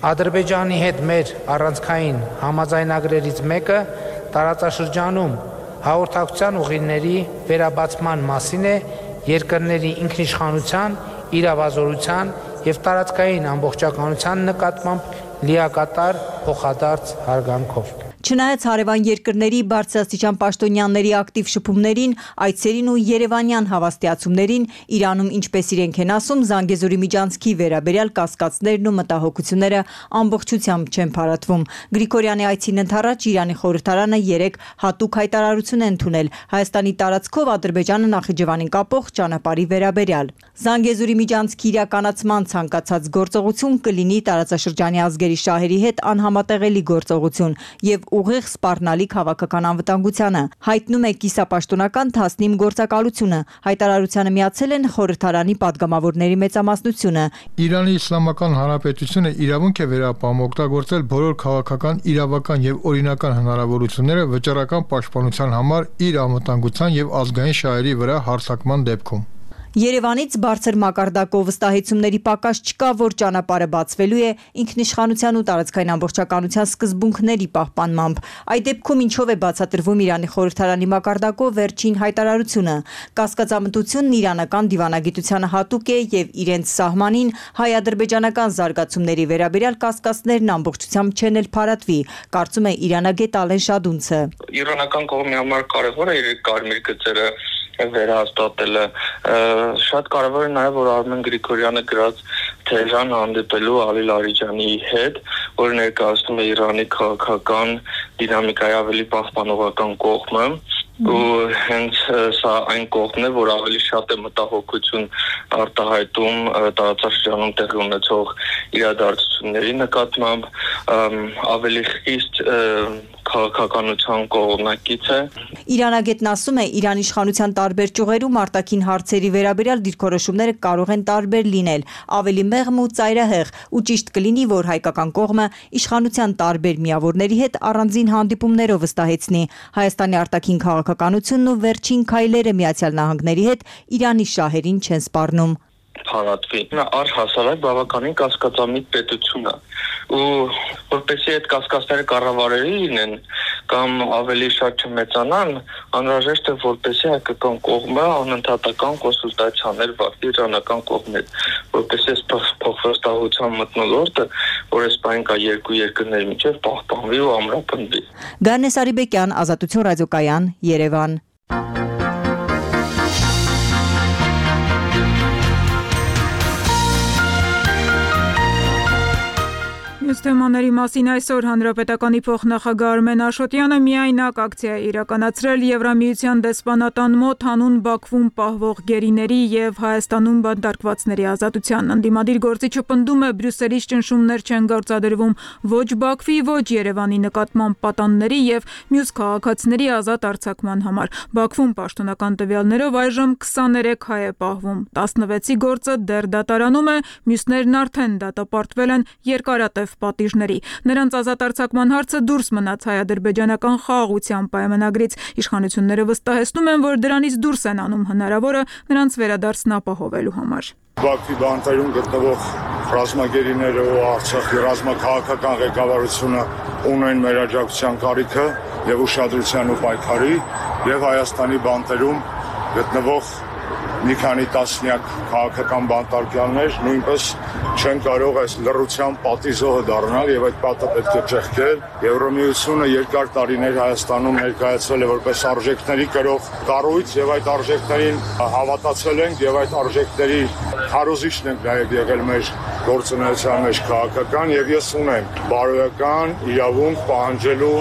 Ադրբեջանի հետ մեր առանցքային համաձայնագրերից մեկը տարածաշրջանում հաղորդակցության ուղիների վերաբացման մասին է երկրների ինքնիշխանության, իրավազորության եւ տարածքային ամբողջականության նկատմամբ լիակատար փոխադարձ հարգանքով։ Չնայած հարևան երկրների բարձրաստիճան պաշտոնյաների ակտիվ շփումներին, այցերին ու երևանյան հավաստիացումներին, Իրանում, ինչպես իրենք են ասում, Զանգեզուրի միջանցքի վերաբերյալ կասկածներն ու մտահոգությունները ամբողջությամբ չեն փարատվում։ Գրիգորյանի այցին ընդառաջ Իրանի խորհրդարանը երեք հատուկ հայտարարություն է ընդունել Հայաստանի տարածքով Ադրբեջանը Նախիջևանին կապող ճանապարհի վերաբերյալ։ Զանգեզուրի միջանցքի իրականացման ցանկացած գործողություն կլինի տարածաշրջանի ազգերի շահերի հետ անհամատեղելի գործողություն եւ ուղիղ սպառնալիք քաղաքական անվտանգությանը, հայտնում է կիսապաշտոնական Թասնիմ գործակալությունը։ Հայտարարությանը միացել են խորհրդարանի падգամավորների մեծամասնությունը։ Իրանի Իսլամական Հանրապետությունը իրավունք է վերապահում օգտագործել բոլոր քաղաքական, իրավական եւ օրինական հնարավորությունները վճռական պաշտպանության համար իր անվտանգության եւ ազգային շահերի վրա հարձակման դեպքում։ Երևանից բարձր մակարդակով վստահեցումների պակաս չկա, որ ճանապարհը բացվելու է ինքնիշխանության ու տարածքային ամբողջականության սկզբունքների պահպանմամբ։ Այդ դեպքում ինչով է բացատրվում Իրանի խորհրդարանի մակարդակով վերջին հայտարարությունը։ Կասկածամտությունն իրանական դիվանագիտությանը հատուկ է եւ իրենց սահմանին հայ-ադրբեջանական զարգացումների վերաբերյալ կասկածներն ամբողջությամբ չեն էլ փարատվի, կարծում է իրանագետ Ալեն Շադունցը։ Իրանական կողմի համար կարևոր է իր կարմիր գծերը վերահաստատելը, շատ կարևոր է նաև որ Արմեն Գրիգորյանը գրած Թեհրան հանդիպելու Ալի Լարիջանի հետ, որը ներկայացնում է Իրանի քաղաքական դինամիկայի ավելի պահպանողական կողմը, ու հենց սա այն կողմն է, որ ավելի շատ է մտահոգություն արտահայտում տարածաշրջանում տեղի ունեցող իրադարձությունների նկատմամբ, ավելի խիստ քաղաքականության կողմնակից է։ Իրանագետն ասում է, Իրանի իշխանության տարբեր ճյուղերում արտաքին հարցերի վերաբերյալ դիրքորոշումները կարող են տարբեր լինել, ավելի մեղմ ու ծայրահեղ, ու ճիշտ կլինի, որ հայկական կողմը իշխանության տարբեր միավորների հետ առանձին հանդիպումներով վստահեցնի Հայաստանի արտաքին քաղաքականությունն ու վերջին քայլերը Միացյալ Նահանգների հետ Իրանի շահերին չեն սպառնում։ Փարատվի։ Նա առհասարակ բավականին կասկածամիտ պետություն է, ու որպեսզի այդ կասկածները կառավարելի լինեն կամ ավելի շատ չմեծանան, անհրաժեշտ է որպեսզի հայկական կողմը անընդհատական կոնսուլտացիաներ վարի իրանական կողմից, որպեսզի այս փոխվստահության մթնոլորտը, որ այս բան կա երկու երկրների միջև պահպանվի ու ամրապնդվի։ Գարնես Արիբեկյան, Ազատություն ռադիոկայան, Երևան։ Մյուս թեմաների մասին այսօր Հանրապետականի փոխնախագահ Արմեն Աշոտյանը միայնակ ակցիա է իրականացրել Եվրամիության դեսպանատան մոտ հանուն Բաքվում պահվող գերիների եւ Հայաստանում բանտարկվածների ազատության։ Ընդդիմադիր գործիչը պնդում է Բրյուսելից ճնշումներ չեն գործադրվում ոչ Բաքվի, ոչ Երևանի նկատմամբ պատանների եւ մյուս քաղաքացիների ազատ արձակման համար։ Բաքվում պաշտոնական տվյալներով այժմ քսաներեք հայ է պահվում, տասնվեցի գործը դեռ դատարանում է, մյուսներն արդեն դատապարտվել են երկարատև պատիժների։ Նրանց ազատ արձակման հարցը դուրս մնաց հայ-ադրբեջանական խաղաղության պայմանագրից։ Իշխանությունները վստահեցնում են, որ դրանից դուրս են անում հնարավորը նրանց վերադարձն ապահովելու համար։ Բաքվի բանտերում գտնվող ռազմագերիները ու Արցախի ռազմաքաղաքական ղեկավարությունը ունեն մեր աջակցության կարիքը եւ ուշադրության ու պայքարի, եւ Հայաստանի բանտերում գտնվող մի քանի տասնյակ քաղաքական բանտարկյալներ նույնպես չեն կարող այս լռության պատիժողը դառնալ եւ այդ պատը պետք է ճեղքել։ Եվրամիությունը երկար տարիներ Հայաստանում ներկայացել է որպես արժեքների կրող կառույց եւ այդ արժեքներին հավատացել ենք եւ այդ արժեքների քարոզիչն ենք նաեւ եղել մեր գործունեության մեջ քաղաքական, եւ ես ունեմ բարոյական իրավունք պահանջելու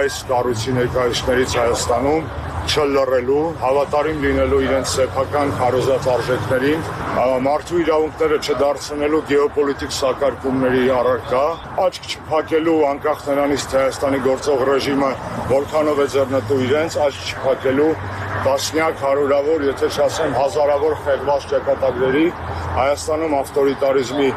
այս կառույցի ներկայացուցիչներից Հայաստանում չլռելու, հավատարիմ լինելու իրենց սեփական քարոզած արժեքներին, մարդու իրավունքները չդարձնելու գեոպոլիտիկ սակարկումների առարկա, աչք չփակելու անկախ նրանից թե Հայաստանի գործող ռեժիմը որքանով է ձեռնտու իրենց, աչք չփակելու տասնյակ, հարյուրավոր, եթե չասեմ հազարավոր խեղված ճակատագրերի Հայաստանում ավտորիտարիզմի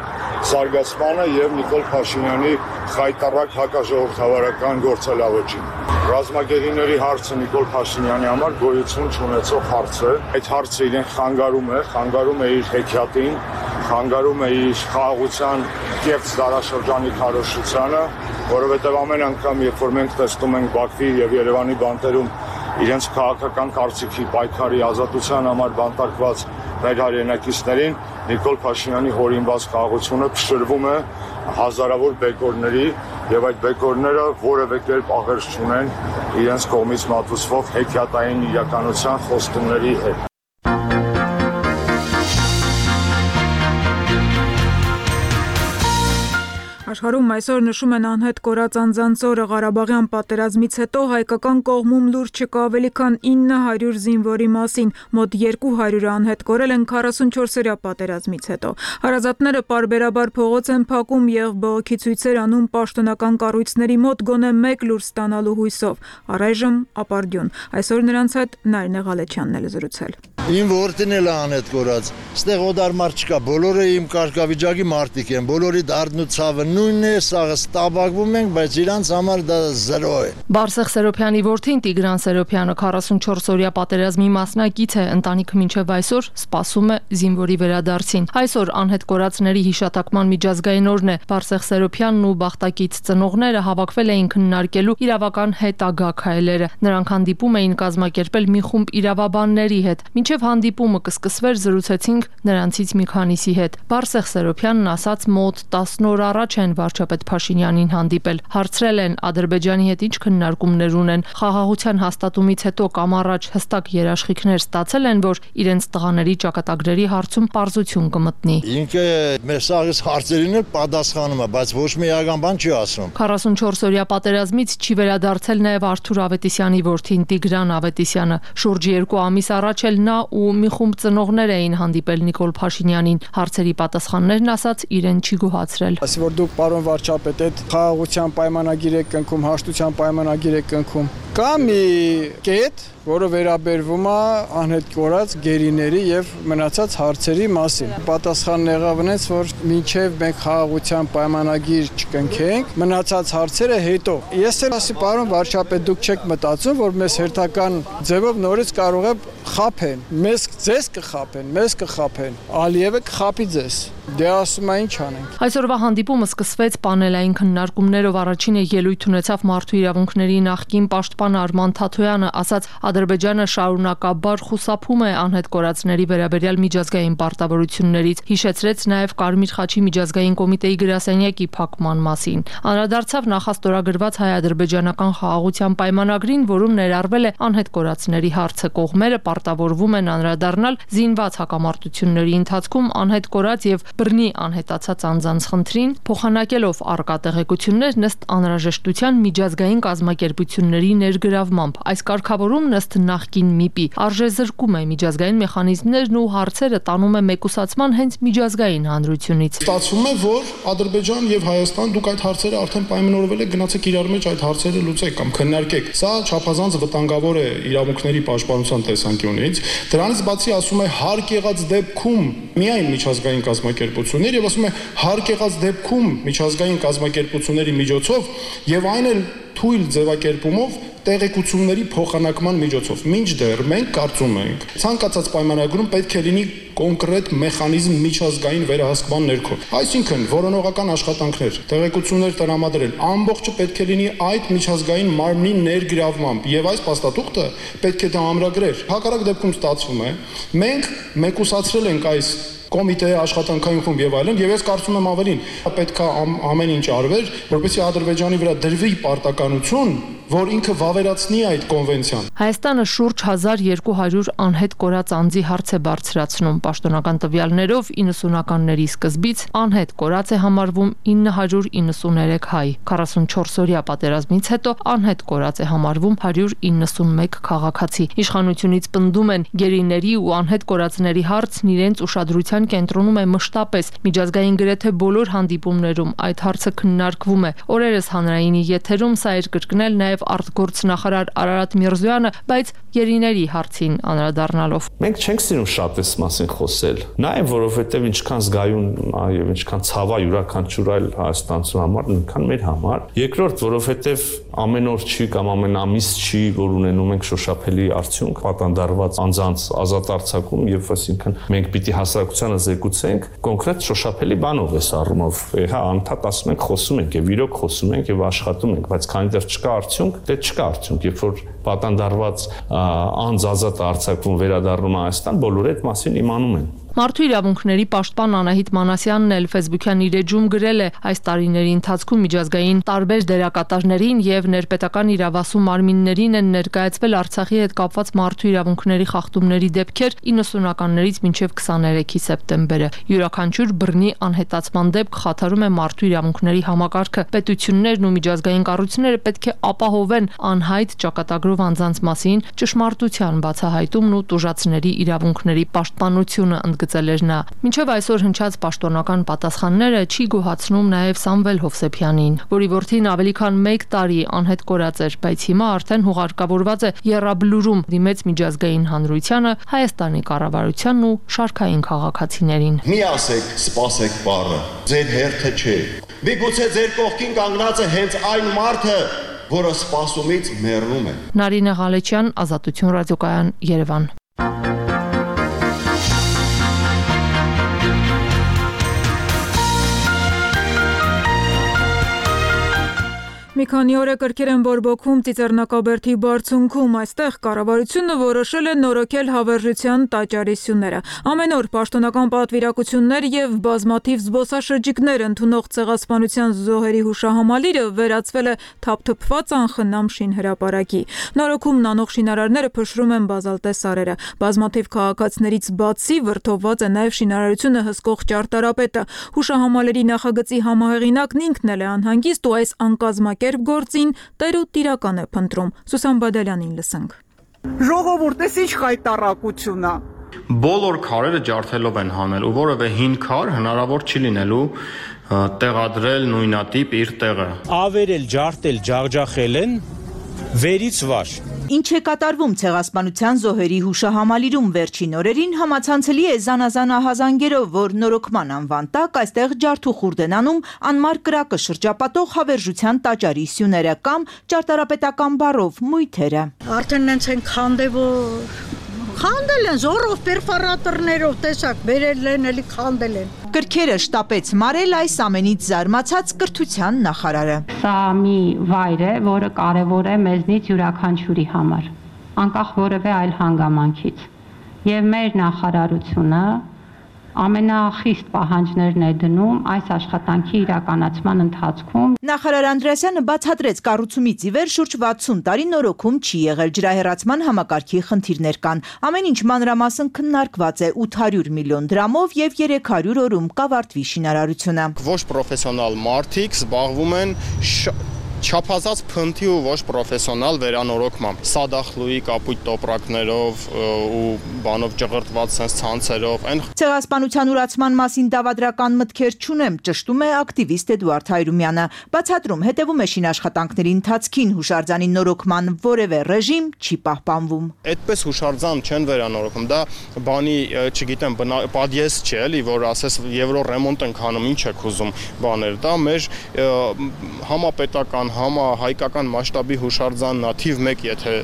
զարգացմանը եւ Նիկոլ Փաշինյանի խայտառակ հակաժողովրդավարական գործելավոճին։ Ռազմագերիների հարցը Նիկոլ Փաշինյանի համար գոյություն չունեցող հարց է։ Այդ հարցը իրեն խանգարում է, խանգարում է իր հեքիաթին, խանգարում է իր խաղաղության կեղծ դարաշրջանի քարոզչությանը, որովհետև ամեն անգամ, երբ որ մենք տեսնում ենք Բաքվի եւ Երևանի բանտերում իրենց քաղաքական կարծիքի պայքարի ազատության համար բանտարկված մեր հայրենակիցներին, Նիկոլ Փաշինյանի հորինված խաղաղությունը փշրվում է հազարավոր բեկորների եւ այդ բեկորները որևէ կերպ աղերս չունեն իրենց կողմից մատուցվող հեքիաթային իրականության խոստումների հետ։ Աշխարհում այսօր նշում են անհետ կորած անձանց օրը։ Ղարաբաղյան պատերազմից հետո հայկական կողմում լուրջ չկա ավելի քան ինը հարյուր զինվորի մասին, մոտ երկու հարյուրը անհետ կորել են քառասունչորսօրյա պատերազմից հետո։ Հարազատները պարբերաբար փողոց են փակում եւ բողոքի ցույցեր անում պաշտոնական կառույցների մոտ գոնե մեկ լուր ստանալու հույսով։ Առայժմ ապարդյուն։ Այսօր նրանց հետ Նարինե Ղալեչյանն է զրուցել։ Իմ որդին էլ անհետ կորած։ Ստեղ օդարմար չկա, բոլորը իմ կարգավիճակի մարդիկ են, բոլորի դարդն ու ցավը նույնն է, սաղը ստաբակվում ենք, բայց իրանց համար դա զրո է։ Բարսեղ Սերոփյանի որդին Տիգրան Սերոփյանը քառասունչորսօրյա պատերազմի մասնակից է, ընտանիքը մինչև այսօր սպասում է զինվորի վերադարձին։ Այսօր անհետ կորածների հիշատակման միջազգային օրն է։ Բարսեղ Սերոփյանն ու բախտակից ծնողները հավաքվել էին քննարկելու իրավական հետագա քայլերը։ Նրանք հանդիպում էին կազմակերպել մի խումբ իրավաբանների հետ։ Մինչև հանդիպումը կսկսվեր զրուցեցինք նրանցից մի քանիսի հետ։ Բարսեղ Սերոփյանն ասաց մոտ տասն օր առաջ են վարչապետ Փաշինյանին հանդիպել։ Հարցրել են Ադրբեջանի հետ ինչ քննարկումներ ունեն։ Խաղաղության հաստատումից հետո կամ առաջ հստակ երաշխիքներ ստացել են, որ իրենց տղաների ճակատագրերի հարցում պարզություն կմտնի։ Ինքը մեր սաղից հարցերին էլ պատասխանում է, բայց ոչ մի իրական բան չի ասում։ քառասունչորսօրյա պատերազմից չի վերադարձել նաև Արթուր Ավետիսյանի որդին Տիգրան Ավետիսյանը։ Շուրջ երկու ամիս առաջ էլ նա ու մի խումբ ծնողներ էին հանդիպել Նիկոլ Փաշինյանին։ Հարցերի պատասխաններն ասաց իրեն չի գոհացրել։ Ասի որ դուք պարոն վարչապետ այդ խաղաղության պայմանագիր եք կնքում, հաշտության պայմանագիր եք կնքում։ Կա մի կետ, որը վերաբերվում է անհետ կորած գերիների եւ մնացած հարցերի մասին։ Պատասխանն եղավ այնպես, որ մինչեւ մենք խաղաղության պայմանագիր չկնքենք, մնացած հարցերը հետո։ Ես էլ ասի պարոն վարչապետ, դուք չեք մտածում, որ մեզ հերթական ձևով նորից կարող է խափեն։ Մեզ ձեզ կխափեն, մեզ կխափեն։ Ալիևը կխափի ձեզ։ Դե ասում է ինչ անենք։ Այսօրվա հանդիպումը սկսվեց պանելային քննարկումներով։ Առաջինը ելույթ ունեցավ Մարդու իրավունքների նախկին պաշտպան Արման Թաթոյանը, ասաց Ադրբեջանը շարունակաբար խուսափում է անհետ կորածների վերաբերյալ միջազգային պարտավորություններից, հիշեցրեց նաև Կարմիր խաչի միջազգային կոմիտեի գրասենյակի փակման մասին։ Անդրադարձավ նախաստորագրված հայ-ադրբեջանական խաղաղության պայմանագրին, որում ներառվել է անհետ կորածների հարցը։ Կողմերը պարտավորվում են անդրադառնալ զինված հակամարտությունների ընթացքում անհետ կորած եւ բռնի անհետացած անձանց խնդրին, փոխանակելով առկա տեղեկություններ ըստ անհրաժեշտության միջազգային կազմակերպությունների ներգրավմամբ։ Այս կարգավորումն ըստ նախկին ՄԻՊ-ի արժեզրկում է միջազգային մեխանիզմներն ու հարցերը տանում է մեկուսացման հենց միջազգային հանրությունից։ Ստացվում է, որ Ադրբեջան եւ Հայաստան դուք այդ հարցերը արդեն պայմանավորվել եք, գնացեք իրար մեջ այդ հարցերը լուծեք կամ քննարկեք։ Սա չափազանց վտանգավոր է իրավունքների պաշտպանության տեսանկյունից։ Դրանից բացի ասում է հարկ եղած դեպքում միայն միջազգային կազմակերպություններ եւ ասում է հարկ եղած դեպքում միջազգային կազմակերպությունների միջոցով եւ այն էլ թույլ ձևակերպումով տեղեկությունների փոխանակման միջոցով։ Մինչդեռ մենք կարծում ենք, ցանկացած պայմանագրում պետք է լինի կոնկրետ մեխանիզմ միջազգային վերահսկման ներքո։ Այսինքն որոնողական աշխատանքներ, տեղեկություններ տրամադրել, ամբողջը պետք է լինի այդ միջազգային մարմնի ներգրավմամբ եւ այս փաստաթուղթը պետք է դա ամրագրեր։ Հակառակ դեպքում ստացվում է, մենք մեկուսացրել ենք այս կոմիտեի աշխատանքային խումբ եւ այլն, եւ ես կարծում եմ ավելին, պետք է ամեն ինչ արվեր, որպեսզի Ադրբեջանի վրա դրվի պարտականություն, որ ինքը վավերացնի այդ կոնվենցիան։ Հայաստանը շուրջ հազար երկու հարյուր անհետ կորած անձի հարց է բարձրացնում։ Պաշտոնական տվյալներով իննսունականների սկզբից անհետ կորած է համարվում ինը հարյուր իննսուներեք հայ։ քառասունչորսօրյա պատերազմից հետո անհետ կորած է համարվում հարյուր իննսունմեկ քաղաքացի։ Իշխանությունից պնդում են գերիների ու անհետ կորածների հարցն իրենց ուշադրության կենտրոնում է մշտապես։ Միջազգային գրեթե բոլոր հանդիպումներում այդ հարցը քննարկվում է։ Օրերս հանրայինի եթերում սա էր կրկնել նաև արտգործնախարար Արարատ Միրզոյանը, բայց գերիների հարցին անդրադառնալով։ Մենք չենք սիրում շատ այս մասին խոսել, նաև որովհետև ինչքան զգայուն եւ ինչքան ցավա յուրաքանչյուր այլ հայաստանցու համար, այնքան մեր համար։ Երկրորդ, որովհետև ամեն օր չի կամ ամեն ամիս չի, որ ունենում ենք շոշափելի արդյունք, պատանդարված անձանց ազատ արձակում եւ այսինքն մենք պիտի հասարակությանը զեկուցենք կոնկրետ շոշափելի բանով էս առումով։ Հա, անդադ ասում ենք, խոսում ենք եւ իրոք խոսում ենք եւ աշխատում ենք, բայց քանի դեռ չկա արդյունք, դե չկա արդյունք, երբ որ պատանդարված անձ ազատ արձակվում վերադառնում Հայաստան, բոլորը այդ մասին իմանում են։ Մարդու իրավունքների պաշտպան Անահիտ Մանասյանն էլ Facebook-յան իր էջում գրել է. այս տարիների ընթացքում միջազգային տարբեր դերակատարներին եւ ներպետական իրավասու մարմիններին են ներկայացվել Արցախի հետ կապված մարդու իրավունքների խախտումների դեպքեր իննսունականներից մինչեւ քսաներեքի սեպտեմբերը։ Յուրաքանչյուր բռնի անհետացման դեպք խաթարում է մարդու իրավունքների համակարգը։ Պետություններն ու միջազգային կառույցները պետք է ապահովեն անհայտ ճակատագրով անձանց մասին ճշմարտության բացահայտումն ու տուժածների իրավունքների պաշտպանությունը, ընդգծել էր նա։ Մինչև այսօր հնչած պաշտոնական պատասխանները չի գոհացնում նաև Սամվել Հովսեփյանին, որի որդին ավելի քան մեկ տարի անհետ կորած էր, բայց հիմա արդեն հուղարկավորված է եռաբլուրում դիմեց միջազգային հանրությանը, Հայաստանի կառավարությանն ու շարքային քաղաքացիներին։ Մի ասեք, սպասեք բառը, ձեր հերթը չէ։ Միգուցե ձեր կողքին կանգնած է հենց այն մարդը, որը սպասումից մեռնում է։ Նարինե Ղալեչյան, Ազատություն ռադիոկայան, Երևան։ Մի քանի օր է կրկեր են բորբոքում Ծիծեռնակաբերդի բարձունքում, այստեղ կառավարությունը որոշել է նորոգել հավերժության տաճարի սյուները։ Ամեն օր պաշտոնական պատվիրակություններ եւ բազմաթիվ զբոսաշրջիկներ ընդունող ցեղասպանության զոհերի հուշահամալիրը վերածվել է թափթփված անխնամ շինհրապարակի։ Նորոգումն անող շինարարները փշրում են բազալտե սարերը։ Բազմաթիվ քաղաքացիներից բացի վրդովված է նաեւ շինարարությունը հսկող ճարտարապետը։ Հուշահամալիրի նախագծի համահեղինակն ինքն էլ է անհանգիստ ու այս անկազմակ Կերպ գործին տեր ու տիրական է փնտրում։ Սուսան Բադալյանին լսենք։ Ժողովուրդ, էս ինչ խայտարակություն է։ Բոլոր քարերը ջարդելով են հանել ու որևէ հին քար հնարավոր չի լինելու տեղադրել նույնատիպ իր տեղը։ Ավերել, ջարդել, ջախջախել են վերից վար։ Ինչ է կատարվում ցեղասպանության զոհերի հուշահամալիրում վերջին օրերին համացանցելի է զանազան ահազանգերով, որ նորոգման անվան տակ այստեղ ջարդուխուրդ են անում անմար կրակը շրջապատող հավերժության տաճարի սյուները կամ ճարտարապետական բառով մույթերը։ Արդեն նենց են քանդել, որ քանդել են զորով պերֆորատորներով, տեսակ, բերել են, էլի քանդել են։ Կրքերը շտապեց մարել այս ամենից զարմացած կրթության նախարարը։ Սա մի վայր է, որը կարևոր է մեզնից յուրաքանչյուրի համար, անկախ որևէ այլ հանգամանքից։ Եվ մեր նախարարությունը ամենախիստ պահանջներն է դնում այս աշխատանքի իրականացման ընթացքում։ Նախարար Անդրեասյանը բացատրեց, կառուցումից ի վեր շուրջ վաթսուն տարի նորոգում չի եղել, ջրահեռացման համակարգի խնդիրներ կան։ Ամեն ինչ մանրամասն քննարկված է ութ հարյուր միլիոն դրամով եւ երեք հարյուր օրում կավարտվի շինարարությունը։ Ոչ պրոֆեսիոնալ մարդիկ զբաղվում են չափազած փնթի ու ոչ պրոֆեսիոնալ վերանորոգմամբ, սադախլուի կապույտ տոպրակներով ու բանով ջղրտված sense ցանցերով, այն ցեղասպանության ուրացման մասին դավադրական մտքեր չունեմ, ճշտում է ակտիվիստ Էդուարդ Հայրումյանը, բացատրում հետևում է շինաշխատանքների ընթացքին, հուշարձանի նորոգման որևէ ռեժիմ չի պահպանվում։ Այդպես հուշարձան չեն վերանորոգում, դա բանի, չգիտեմ, պատիես չէ, էլի, որ ասես եվրո ռեմոնտ ենք անում, ինչ եք ուզում բաներ, դա մեր համապետական համա հայկական մասշտաբի հուշարձանն է, թիվ մեկ, եթե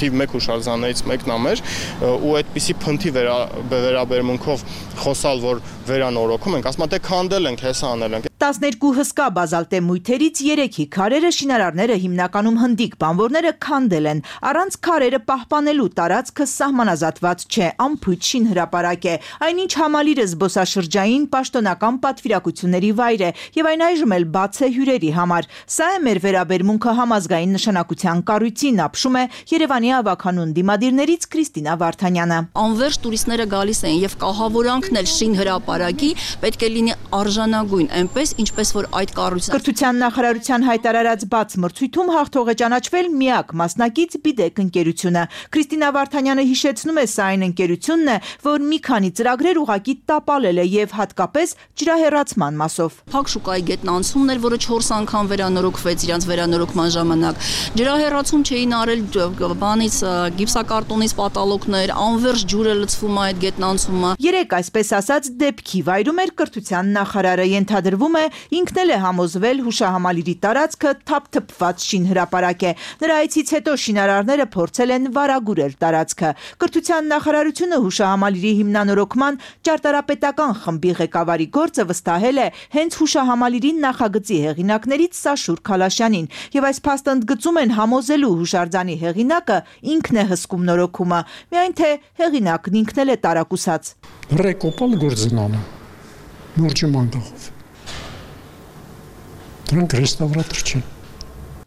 թիվ մեկ հուշարձաններից մեկն է մեր, ու այդպիսի փնթի վերաբերմունքով խոսալ, որ վերանորոգում ենք, ասում թե քանդել ենք, հեսա անել ենք։ տասներկու հսկա բազալտե մույթերից երեքի քարերը շինարարները հիմնականում հնդիկ բանվորները քանդել են, առանց քարերը պահպանելու տարածքը սահմանազատված չէ, անփույթ շինհրապարակ է, այնինչ համալիրը զբոսաշրջային պաշտոնական պատվիրակությունների վայր է եւ այն այժմ էլ բաց է հյուրերի համար։ Սա է մեր վերաբերմունքը համազգային նշանակության կառույցին, ապշում է Երևանի ավականուն դիմադիրներից Քրիստինա Վարդանյանը։ Անվերջ տուրիստները գալիս են եւ կահավորանքն էլ շինհրապարակի պետք է լինի արժանագույն, այնպես ինչպես որ այդ կառույցը։ Կրթության նախարարության հայտարարած բաց մրցույթում հաղթող է ճանաչվել միակ մասնակից Բիդեկ ընկերությունը։ Քրիստինա Վարդանյանը հիշեցնում է, սա այն ընկերությունն է, որ մի քանի ծրագրեր ուղակի տապալել է եւ հատկապես ջրահեռացման մասով։ Փակ շուկայի գետնանցումն էր, որը չորս անգամ վերանորոգվեց իրանց վերանորոգման ժամանակ։ Ջրահեռացում չէին արել բանից գիպսակարտոնից պատալոկներ, անվերջ ջուրը լցվում է այդ գետնանցումը։ Երեք այսպես ասած դեպքի վայրում էր կրթության նախարարը, ենթադրվում է, ինքն էլ է համոզվել հուշահամալիրի տարածքը թափթփված շինհրապարակ է։ Նրա այցից հետո շինարարները փորձել են վարագուրել տարածքը։ Կրթության նախարարությունը հուշահամալիրի հիմնանորոգման ճարտարապետական խմբի ղեկավարի գործը վստահել է հենց հուշահամալիրի նախագծի հեղինակներից Սաշուր Քալաշյանին, եւ այս փաստը ընդգծում են համոզելու հուշարձանի հեղինակը ինքն է հսկում նորոգումը, միայն թե հեղինակն ինքն էլ է տարակուսած։ Ռեկոպալ գործնանը նորջի մանգախով դրանք ռեստավրատոր չեն։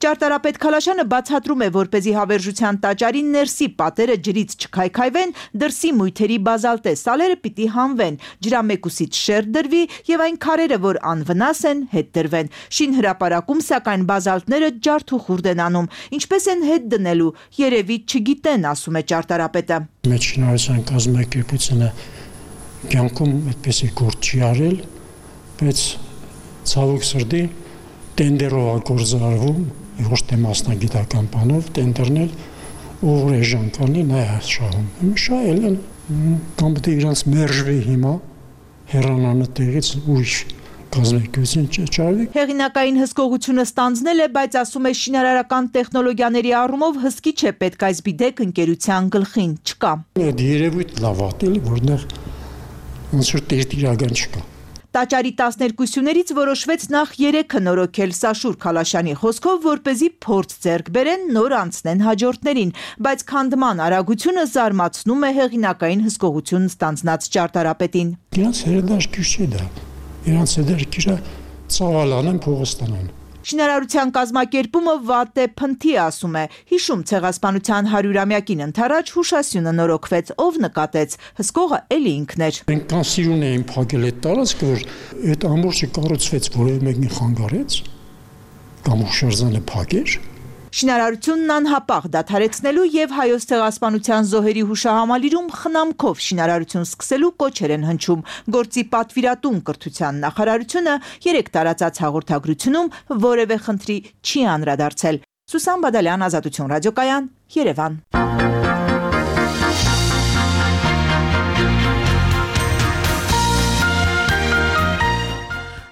Ճարտարապետ Քալաշյանը բացատրում է, որպեսզի հավերժության տաճարի ներսի պատերը ջրից չքայքայվեն, դրսի մույթերի բազալտե սալերը պիտի հանվեն, ջրամեկուսից շերտ դրվի եւ այն քարերը, որ անվնաս են, հետ դրվեն։ Շինհրապարակում սակայն բազալտները ջարդ ու խուրդ են անում, ինչպես են հետ դնելու, երևի չգիտեն, ասում է ճարտարապետը։ Մեծ շինարարության կազմակերպությունը կյանքում այդպեսի գործ չի արել, բայց ցավոք սրտի տենդերով է գործարվում, ոչ թե մասնագիտական բանով, տենդերնել ուղղ էժան կանի նա է շահում։ Շահել են, կամ պետք է իրանց մերժվի հիմա, հեռանանը տեղից ուրիշ կազմակերպություն չճարվի։ Հեղինակային հսկողությունը ստանձնել է, բայց ասում է շինարարական տեխնոլոգիաների առումով հսկիչ է պետք այս բիդեկ ընկերության գլխին չկա։ Այդ երևույթ լավ ատել, որտեղ ոնց որ տերտիրական չկա։ Տաճարի տասներկուսյուներից որոշվեց նախ երեքը նորոգել Սաշուր Քալաշյանի խոսքով, որպեսզի փորձ ձեռք բերեն նոր անցնեն հաջորդներին, բայց քանդման արագությունը զարմացնում է հեղինակային հսկողություն ստանձնած ճարտարապետին։ Իրանց հերադաշկյուր չէ դա, իրանց հերադաշկյուրը ծավալան են փողոստանան։ Շինարարության կազմակերպումը վատ է փնթի, ասում է, հիշում ցեղասպանության հարյուրամյակին ընթരാճ հուշասյունը նորոգվեց, ով նկատեց, հսկողը էլի ինքն էր։ Մենք կանսիրուն էին փակել այդ տարածքը, որ այդ ամբողջը կառուցվեց, որևէ մեկին խանգարեց, կամ հուշարձանը փակեր։ Շինարարությունն անհապաղ դադարեցնելու եւ Հայոց ցեղասպանության զոհերի հուշահամալիրում խնամքով շինարարություն սկսելու կոչեր են հնչում։ Գործի պատվիրատուն կրթության նախարարությունը երեք տարածած հաղորդագրությունում որևէ խնդրի չի անդրադարձել։ Սուսան Բադալյան, Ազատություն ռադիոկայան, Երևան։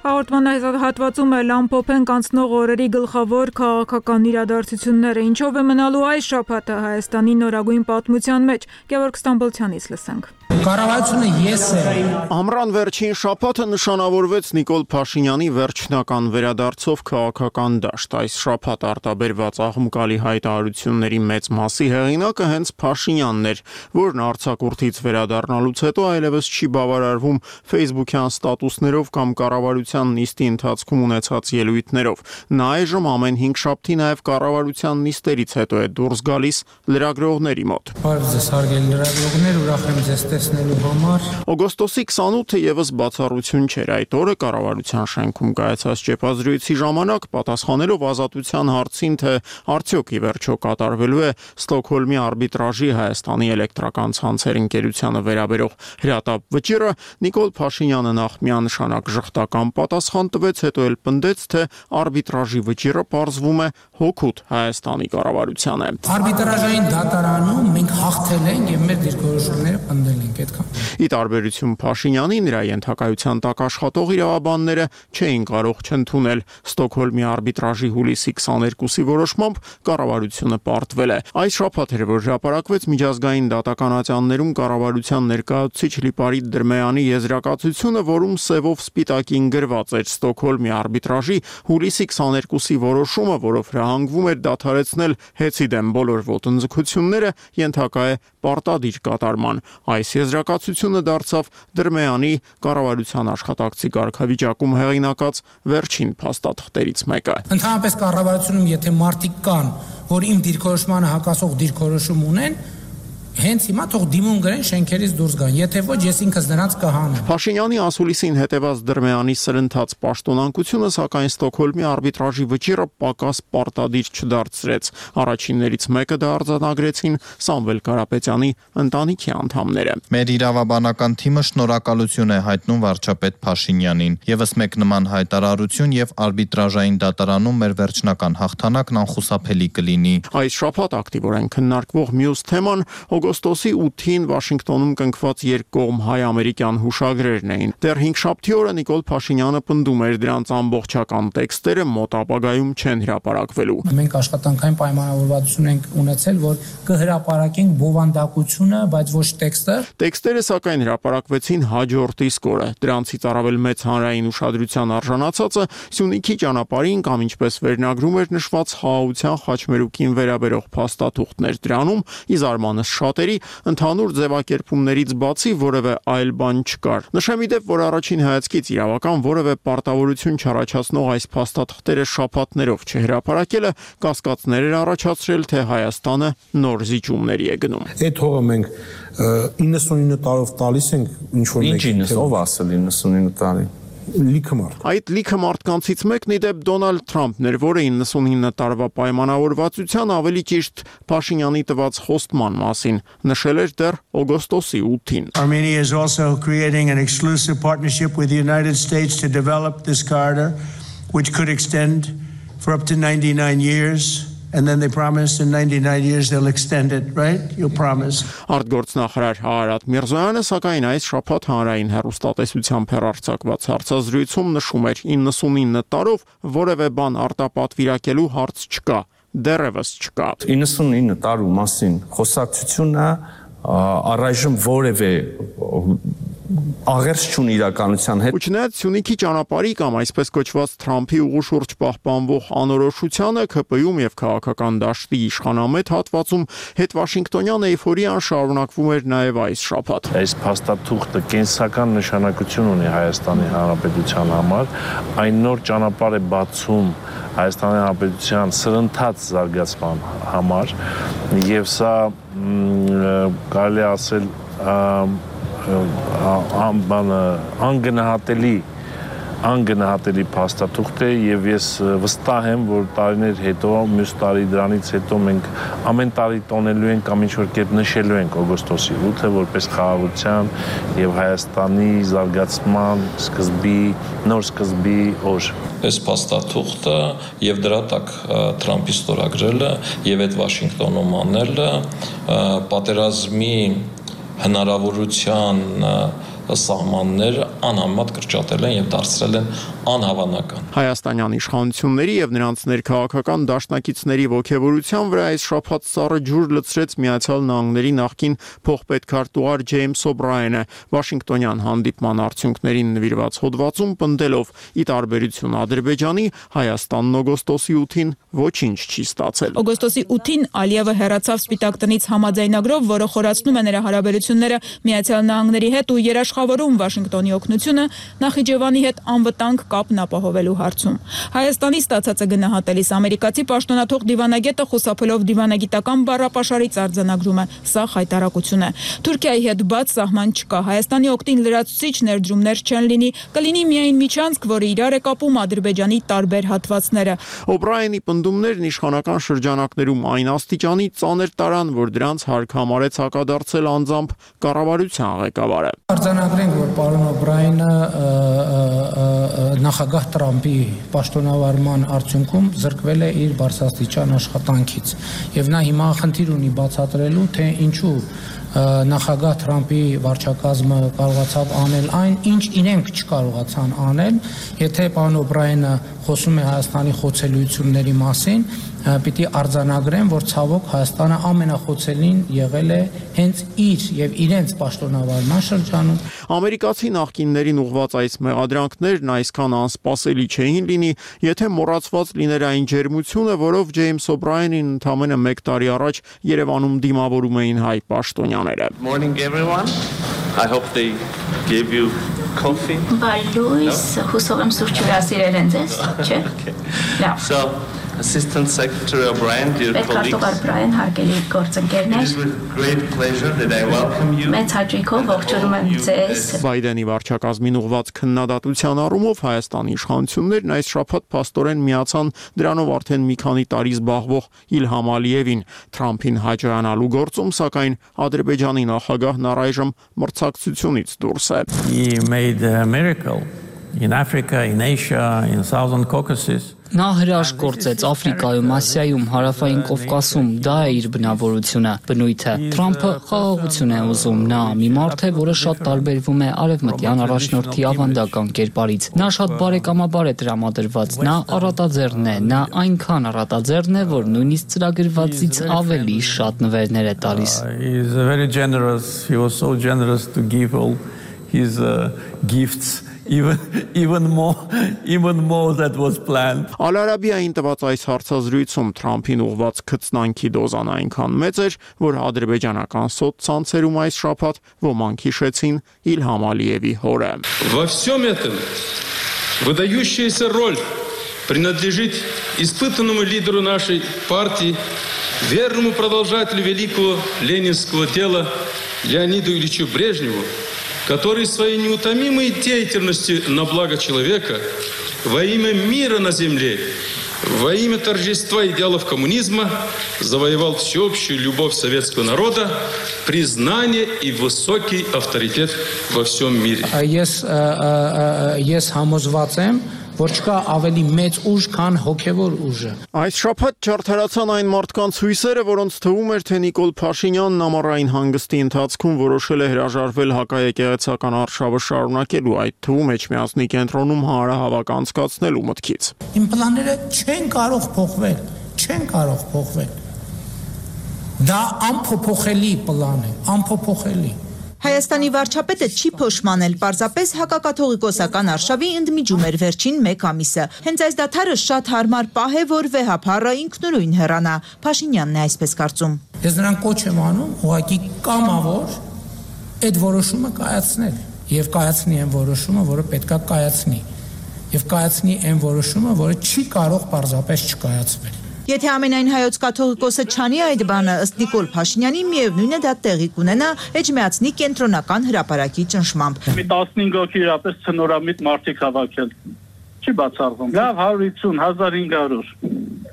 Հաղորդման հատվածում էլ ամփոփենք անցնող օրերի գլխավոր քաղաքական իրադարձությունները, ինչով է մնալու այս շաբաթը Հայաստանի նորագույն պատմության մեջ։ Գևորգ Ստամբոլցյանից լսենք։ Կառավարությունը ես է։ Ամռան վերջին շաբաթը նշանավորվեց Նիկոլ Փաշինյանի վերջնական վերադարձով քաղաքական դաշտ։ Այս շաբաթ արտաբերված աղմկալի հայտարարությունների մեծ մասի հեղինակը հենց Փաշինյանն էր, որն արձակուրդից վերադառնալուց հետո այլևս չի բավարարվում Facebook-յան ստատուսներով կամ կառավարության նիստի ընթացքում ունեցած ելույթներով։ Նա այժմ ամեն հինգ շաբթի նաև կառավարության նիստերից հետո է դուրս գալիս լրագրողների մոտ։ Բարև ձեզ, հարգելի լրագրողներ, ուրախ եմ ձեզ տեսնելու համար։ Օգոստոսի քսանութը եւս բացառություն չէր։ Այդ օրը կառավարության շենքում կայացած ճեպազրույցի ժամանակ պատասխանելով ազատության հարցին, թե արդյոք ի վերջո կատարվելու է Ստոկհոլմի արբիտրաժի Հայաստանի էլեկտրական ցանցեր ընկերությանը վերաբերող հրատապ վճիռը, Նիկոլ Փաշինյանը նախ միանշանակ ժխտական պատասխան տվեց, հետո էլ պնդեց, թե արբիտրաժի վճիռը պարզվում է հօգուտ Հայաստանի կառավարության է։ Արբիտրաժային դատարանում մենք հաղթել ենք եւ մեր դիրքորոշումները պնդել ենք այդքան։ Ի տարբերություն Փաշինյանի, նրա ենթակայության տակ աշխատող իրավաբանները չէին կարող չընդունել Ստոկհոլմի արբիտրաժի հուլիսի քսաներկուսի որոշմամբ կառավարությունը պարտվել է։ Այս շաբաթ էր, որ հրապարակվեց միջազգային դատականատյաններում կառավարության ներկայացուցիչ Լիպարիտ Դրմեյանի եզրակացությունը, որում սևով սպիտակին գրված էր Ստոկհոլմի արբիտրաժի հուլիսի քսաներկուսի որոշումը, որով հրահանգվում էր դադարեցնել հեծի դեմ բոլոր ոտնձգությունները, ենթակա է պարտադիր կատարման։ Այս եզրակացությունը դարձավ Դրմեյանի կառավարության աշխատակցի կարգավիճակում հեղինակած վերջին փաստաթղթերից մեկը։ Ընդհանրապես կառավարությունում եթե մարդիկ կան, որ իմ դիրքորոշմանը հակասող դիրքորոշում ունեն, հենց հիմա թող դիմում գրեն շենքերից դուրս գան, եթե ոչ ես ինքս նրանց կհանեմ։ Փաշինյանի ասուլիսին հետևած Դրմեյանի սրընթաց պաշտոնանկությունը, սակայն Ստոկհոլմի արբիտրաժի վճիռը պակաս պարտադիր չդարձրեց։ Առաջիններից մեկը դա արձանագրեցին Սամվել Կարապետյանի ընտանիքի անդամները։ Մեր իրավաբանական թիմը շնորհակալություն է հայտնում վարչապետ Փաշինյանին։ Եվս մեկ նման հայտարարություն եւ արբիտրաժային դատարանում մեր վերջնական հաղթանակն անխուսափելի կլինի։ Այս շաբաթ ակտիվորեն քննարկվող մյուս թեման Օգոստոսի ութին Վաշինգտոնում կնքված երկկողմ հայ-ամերիկյան հուշագրերն էին։ Դեռ հինգշաբթի օրը Նիկոլ Փաշինյանը պնդում էր դրանց ամբողջական տեքստերը մոտ ապագայում չեն հրապարակվելու։ Մենք աշխատանքային պայմանավորվածություն ենք ունեցել, որ կհրապարակենք բովանդակությունը, բայց ոչ տեքստը։ Տեքստերը սակայն հրապարակվեցին հաջորդ իսկ օրը։ Դրանցից առավել մեծ հանրային ուշադրության արժանացածը Սյունիքի ճանապարհին կամ ինչպես վերնագրում էր նշված խաղաղության խաչմերուկին վերաբերող փաստաթուղթներ դրանում, ի զարմանս շատերի ընդհանուր ձևակերպումներից բացի որևէ այլ բան չկար։ Նշեմ իդեպ, որ առաջին հայացքից իրավական որևէ պարտավորություն չառաջացնող այս փաստաթղթերը շաբաթներով չհրապարակելը կասկածներ էր առաջացրել, թե Հայաստանը նոր զիջումների է գնում։ Այդ հողը մենք իննսունինը տարով տալիս ենք ինչ-որ մեկ։ Ինչ ով ասել իննսունինը տարի։ Լիքը մարդ։ Այդ լիքը մարդկանցից մեկն իդեպ Դոնալդ Թրամփն էր, որը իննսունինը տարվա պայմանավորվածության ավելի ճիշտ Փաշինյանի տված խոստման մասին նշել էր դեռ օգոստոսի ութին։ Armenia is also creating an exclusive partnership with the United States to develop this corridor, which could extend for up to ninety-nine years. And then they promised in ninety-nine years they'll extend it, right? You'll promise. Արտգործնախարար Հարարատ Միրզոյանը սակայն այս շաբաթ հանրային հեռուստատեսությամբ հեռարձակված հարցազրույցում նշում էր իննսունինը տարով որևէ բան արտապատվիրակելու հարց չկա, դեռևս չկա։ իննսունինը տարու մասին խոսակցությունը առայժմ որևէ աղերս չունի իրականության հետ։ Ու չնայած Սյունիքի ճանապարհի կամ այսպես կոչված Թրամփի ուղու շուրջ պահպանվող անորոշությանը ՔՊ-ում եւ քաղաքական դաշտի իշխանամետ հատվածում հետ Վաշինգտոնյան էյֆորիան շարունակվում էր նաեւ այս շաբաթ։ Այս փաստաթուղթը կենսական նշանակություն ունի Հայաստանի Հանրապետության համար, այն նոր ճանապարհ է բացում Հայաստանի Հանրապետության սրընթաց զարգացման համար եւ սա կարելի ասել անգնահատելի անգնահատելի փաստաթուղթ է եւ ես վստահ եմ, որ տարիներ հետո, մյուս տարի դրանից հետո մենք ամեն տարի տոնելու ենք կամ ինչ-որ կերպ նշելու ենք օգոստոսի ութը որպես խաղաղության եւ Հայաստանի զարգացման սկզբի, նոր սկզբի օր։ Այս փաստաթուղթը եւ դրա տակ Թրամփի ստորագրելը եւ այդ Վաշինգտոնում անելը պատերազմի հնարավորության սահմանները անհամեմատ կրճատել են եւ դարձրել են անհավանական։ Հայաստանյան իշխանությունների եւ նրանց ներքաղաքական դաշնակիցների ողջավորության վրա այս շաբաթ սառը ջուր լցրեց Միացյալ Նահանգների նախկին փոխպետքարտուղար Ջեյմս Օբրայենը Վաշինգտոնյան հանդիպման արդյունքներին նվիրված հոդվածում պնդելով՝ ի տարբերություն Ադրբեջանի, Հայաստանն օգոստոսի ութին ոչինչ չի ստացել։ Օգոստոսի ութին Ալիևը հեռացավ Սպիտակ տնից համաձայնագրով, որը խորացնում է նրա հարաբերությունները Միացյալ Նահանգների հետ ու երաշխավորում Վաշինգտոնի օգնությունը Նախիջևանի հետ անվտանգ կապն ապահովելու հարցում։ Հայաստանի ստացածը գնահատելիս ամերիկացի պաշտոնաթող դիվանագետը խուսափելով դիվանագիտական բառապաշարից արձանագրում է՝ սա խայտարակություն է։ Թուրքիայի հետ բաց սահման չկա, Հայաստանի օգտին լրացուցիչ ներդրումներ չեն լինի, կլինի միայն միջանցք, որը իրար է կապում Ադրբեջանի տարբեր հատվածները։ Օբրայենի պնդումներն իշխանական շրջանակներում այն աստիճանի ծանր տարան, որ դրանց հարկ համարեց հակադարձել անձամբ կառավարության ղեկավարը։ Արձանագրենք, որ պարոն Օբրայենը նախագահ Տրամփի պաշտոնավարման արդյունքում զրկվել է իր բարձրաստիճան աշխատանքից եւ նա հիմա խնդիր ունի բացատրելու, թե ինչու նախագահ Տրամփի վարչակազմը կարողացավ անել այն, ինչ իրենք չկարողացան անել, եթե պարոն Օբրայենը խոսում է Հայաստանի խոցելիությունների մասին, պիտի արձանագրեմ, որ ցավոք Հայաստանը ամենախոցելին եղել է հենց իր եւ իրենց պաշտոնավարման շրջանում։ Ամերիկացի նախկիններին ուղված այս մեղադրանքներն այսքան անսպասելի չէին լինի, եթե մոռացված լիներ այն ջերմությունը, որով Ջեյմս Օբրայենին ընդամենը մեկ տարի առաջ Երևանում դիմավորում էին հայ պաշտոնյաները։ Morning everyone. I hope they gave you coffee. By Louis, հուսով եմ սուրճ հյուրասիրել են ձեզ, չէ՞։ Լավ։ So Assistant Secretary O'Brien, dear colleagues, O'Brien, հարգելի գործընկերներ, it is with great pleasure that I welcome you. Մեծ հաճույքով ողջունում եմ ձեզ։ Բայդենի վարչակազմին ուղված քննադատության առումով Հայաստանի իշխանություններն այս շաբաթ փաստորեն միացան դրանով արդեն մի քանի տարի զբաղվող Իլհամ Ալիևին Թրամփին հաջողանալու գործում, սակայն Ադրբեջանի նախագահն առայժմ մրցակցությունից դուրս է։ He made a miracle in Africa, in Asia, in Southern Caucasus. Նա հրաշք գործեց Աֆրիկայում, Ասիայում, Հարավային Կովկասում, դա է իր բնավորությունը, բնույթը։ Թրամփը խաղաղություն է ուզում, նա մի մարդ է, որը շատ տարբերվում է արևմտյան առաջնորդի ավանդական կերպարից։ Նա շատ բարեկամաբար է տրամադրված, նա առատաձեռն է, նա այնքան առատաձեռն է, որ նույնիսկ ծրագրվածից ավելի շատ նվերներ է տալիս։ He is very generous. He was so generous to give all his uh, gifts. Even even more even more that was planned. Ալ-Արաբիային տված այս հարցազրույցում Թրամփին ուղված քծնանքի դոզան այնքան մեծ էր, որ ադրբեջանական սոցցանցերում այս շաբաթ ոմանք հիշեցին Իլհամ Ալիևի հորը։ Во всем этом выдающаяся роль принадлежит испытанному лидеру нашей партии, верному продолжателю великого ленинского дела Леониду Ильичу Брежневу, который своей неутомимой деятельностью на благо человека, во имя мира на земле, во имя торжества идеалов коммунизма завоевал всеобщую любовь советского народа, признание и высокий авторитет во всем мире. Ես ես համոզված եմ, որ չկա ավելի մեծ ուժ, քան հոգևոր ուժը։ Այս շաբաթ չարթարացան այն մարդկանց հույսերը, որոնց թվում էր, թե Նիկոլ Փաշինյանն ամառային հանգստի ընթացքում որոշել է հրաժարվել հակաեկեղեցական արշավը շարունակելու, այդ թվում Էջմիածնի կենտրոնում հանրահավաք անցկացնելու մտքից։ Իմ պլանները չեն կարող փոխվել, չեն կարող փոխվել։ Դա անփոփոխելի պլան է, անփոփոխելի։ Հայաստանի վարչապետը չի փոշմանել, պարզապես հակակաթողիկոսական արշավի ընդմիջում էր վերջին մեկ ամիսը։ Հենց այս դադարը շատ հարմար պահ է, որ վեհափառը ինքնուրույն հեռանա։ Փաշինյանն է այսպես կարծում։ Ես նրան կոչ եմ անում, ուղղակի կամավոր այդ որոշումը կայացնել եւ կայացնի այն որոշումը, որը պետքա կայացնի։ Եվ կայացնի այն որոշումը, որը չի կարող պարզապես չկայացվել։ Եթե ամենայն հայոց կաթողիկոսը չանի այդ բանը, ըստ Նիկոլ Փաշինյանի, միևնույն է դա տեղի կունենա Էջմիածնի կենտրոնական հրապարակի ճնշմամբ։ Մի տասնհինգ հոգի իրապես ցնորամիտ մարդիկ հավաքել։ Չի բացառվում։ Լավ հարյուր հիսուն, հազար հինգ հարյուր։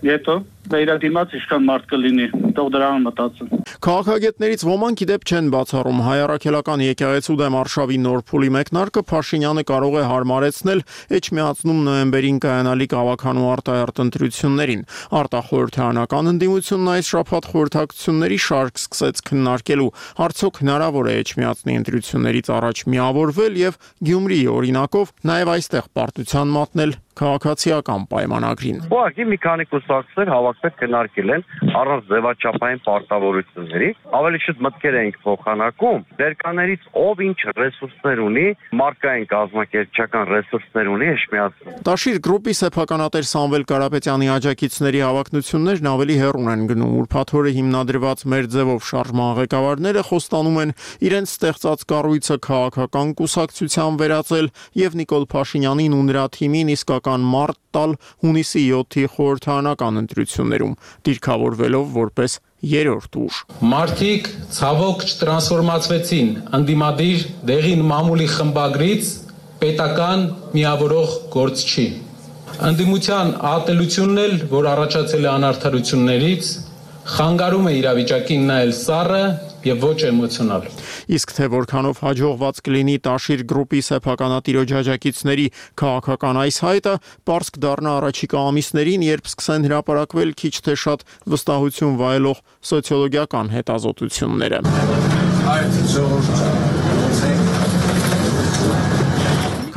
Եթե դա իր դիմաց ինչքան մարդ կլինի, թող դրան մտածեն։ Քաղաքագետներից ոմանք իդեպ չեն բացառում հայ առաքելական եկեղեցու դեմ արշավի նոր փուլի մեկնարկը Փաշինյանը կարող է հարմարեցնել Էջմիածնում նոյեմբերին կայանալիք ավականու արտահերտ ընտրություններին։ Արտախորհրդարանական ընդդիմությունն այս շաբաթ խորհրդակցությունների շարք սկսեց քննարկելու, արդյոք հնարավոր է Էջմիածնի ընտրություններից առաջ միավորվել եւ Գյումրիի օրինակով նաեւ այստեղ պարտության մատնել քաղաքացիական պայմանագրին։ Ուղղակի մի քանի կուսակցներ հավաքվել քննարկել են առանց ձևաչափային պարտավորությունների, ավելի շուտ մտքեր էինք փոխանակում, ներկաներից ով ինչ ռեսուրսներ ունի, մարդկային կազմակերպչական ռեսուրսներ ունի Էջմիածնում։ Տաշիր գրուպի սեփականատեր Սամվել Կարապետյանի աջակիցների հավակնություններն ավելի հեռուն են գնում, ուրբաթ օրը հիմնադրված մեր ձևով շարժման ղեկավարները խոստանում են իրենց ստեղծած կառույցը քաղաքական կուսակցության վերածել եւ Նիկոլ Փաշինյանին ու նրա թիմին իսկական մարդ տալ հունիսի յոթի խորհրդարանական ընտրություններում, դիրքավորվելով որպես երրորդ ուժ։ Մարդիկ ցավոք չտրանսֆորմացվեցին ընդդիմադիր դեղին մամուլի խմբագրից պետական միավորող գործչի։ Ընդդիմության ատելությունն էլ, որ առաջացել է անարդարություններից, խանգարում է իրավիճակին նայել սառը եւ ոչ էմոցիոնալ։ Իսկ թե որքանով հաջողված կլինի Տաշիր գրուպի սեփականատիրոջ աջակիցների քաղաքական այս հայտը, պարզ կդառնա առաջիկա ամիսներին, երբ սկսեն հրապարակվել քիչ թե շատ վստահություն վայելող սոցիոլոգիական հետազոտությունները։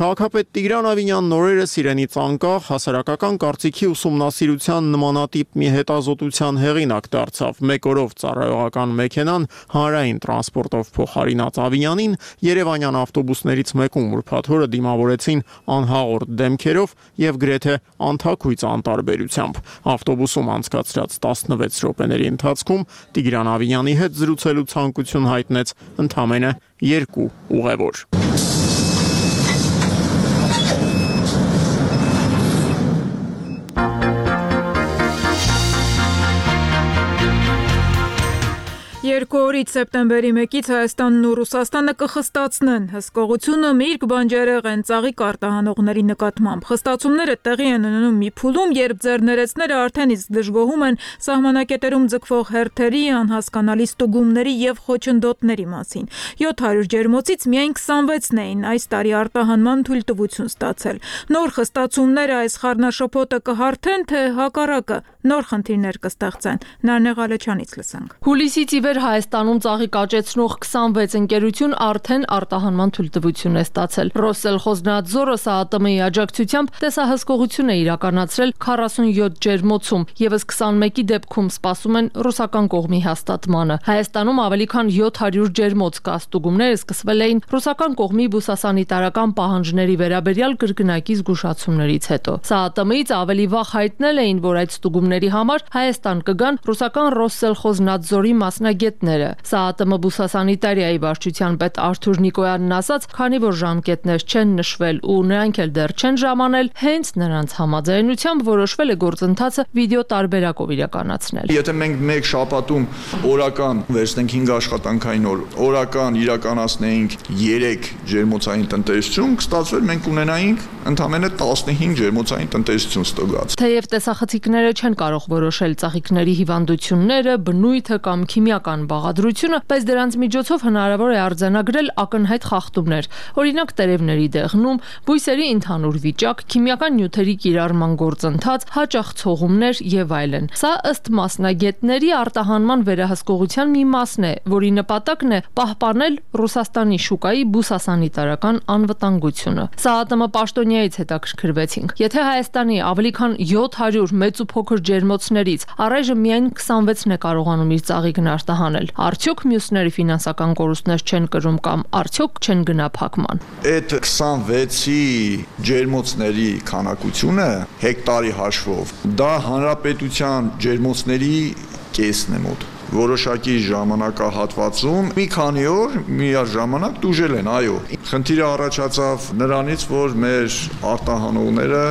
Քաղաքապետ Տիգրան Ավինյանն օրերս իրենից անկախ հասարակական կարծիքի ուսումնասիրության նմանատիպ մի հետազոտության հեղինակ դարձավ։ Մեկ օրով ծառայողական մեքենան հանրային տրանսպորտով փոխարինած Ավինյանին Երևանյան ավտոբուսներից մեկում ուրբաթ օրը դիմավորեցին անհաղորդ դեմքերով եւ գրեթե անթաքույց անտարբերությամբ։ Ավտոբուսում անցկացրած տասնվեց րոպեների ընթացքում Տիգրան Ավինյանի հետ զրուցելու ցանկություն հայտնեց ընդամենը երկու ուղևոր։ Երկու օրից սեպտեմբերի մեկից Հայաստանն ու Ռուսաստանը կխստացնեն հսկողությունը միրգ բանջարեղեն ծաղիկ արտահանողների նկատմամբ։ Խստացումները տեղի են ունենում մի փուլում, երբ ձեռներեցները արդեն իսկ դժգոհում են սահմանակետերում ձգվող հերթերի, անհասկանալի ստուգումների եւ խոչընդոտների մասին։ յոթ հարյուր ջերմոցից միայն քսանվեցն էին այս տարի արտահանման թույլտվություն ստացել։ Նոր խստացումները այս խառնաշփոթը կհարթեն, թե հակառակը նոր խնդիրներ կստեղծեն։ Նարնե Ղալեչյանից լսենք։ Հուլիսից ի վեր Հայաստանում ծաղիկ աճեցնող քսանվեց ընկերություն արդեն արտահանման թույլտվություն է ստացել։ Ռոսելխոզնադզորը ՍԱԱՏՄ-ի աջակցությամբ տեսահսկողություն է իրականացրել քառասունյոթ ջերմոցում, եւս քսանմեկի դեպքում սպասում են ռուսական կողմի հաստատմանը։ Հայաստանում ավելի քան յոթ հարյուր ջերմոց կա, ստուգումները սկսվել էին ռուսական կողմի բուսասանիտարական պահանջների վերաբերյալ կրկնակի զգուշացումներից հետո։ ՍԱԱՏՄ-ից ավելի վաղ հայտնել էին, որ այդ ստուգումների համար Հայաստան կգան ռուսական Ռոսելխոզնադզորի մասնագետները։ ՍԱԱՏՄ բուսասանիտարիայի վարչության պետ Արթուր Նիկոյանն ասաց, քանի որ ժամկետներ չեն նշվել ու նրանք էլ դեռ չեն ժամանել, հենց նրանց համաձայնությամբ որոշվել է գործընթացը վիդեո տարբերակով իրականացնել։ Եթե մենք մեկ շաբաթում օրական վերցնենք հինգ աշխատանքային օր, օրական իրականացնեինք երեք ջերմոցային տնտեսություն, կստացվեր մենք ունենայինք ընդամենը տասնհինգ ջերմոցային տնտեսություն ստուգած։ Թեև տեսախցիկները չեն կարող որոշել ծաղիկների հիվանդությունները, բնույթը կամ քիմիական բաղադրությունը, բայց դրանց միջոցով հնարավոր է արձանագրել ակնհայտ խախտումներ, օրինակ տերևների դեղնում, բույսերի ընդհանուր վիճակ, քիմիական նյութերի կիրառման գործընթաց, հաճախ ցողումներ եւ այլն։ Սա ըստ մասնագետների արտահանման վերահսկողության մի մասն է, որի նպատակն է պահպանել Ռուսաստանի շուկայի բուսասանիտարական անվտանգությունը։ ՍԱԱՏՄ պաշտոնյայից հետաքրքրվեցինք։ Եթե Հայաստանի ավելի քան յոթ հարյուր մեծ ու փոքր ջերմոցներից առայժմ միայն քսանվեցն է կարողանում իր ծաղիկն արտահանել, արդյոք մյուսները ֆինանսական կորուստներ չեն կրում կամ արդյոք չեն գնա փակման։ Այդ քսանվեցի ջերմոցների քանակությունը հեկտարի հաշվով դա հանրապետության ջերմոցների կեսն է մոտ։ Որոշակի ժամանակահատվածում մի քանի օր միաժամանակ դուժել են, այո։ Խնդիրը առաջացավ նրանից, որ մեր արտահանողները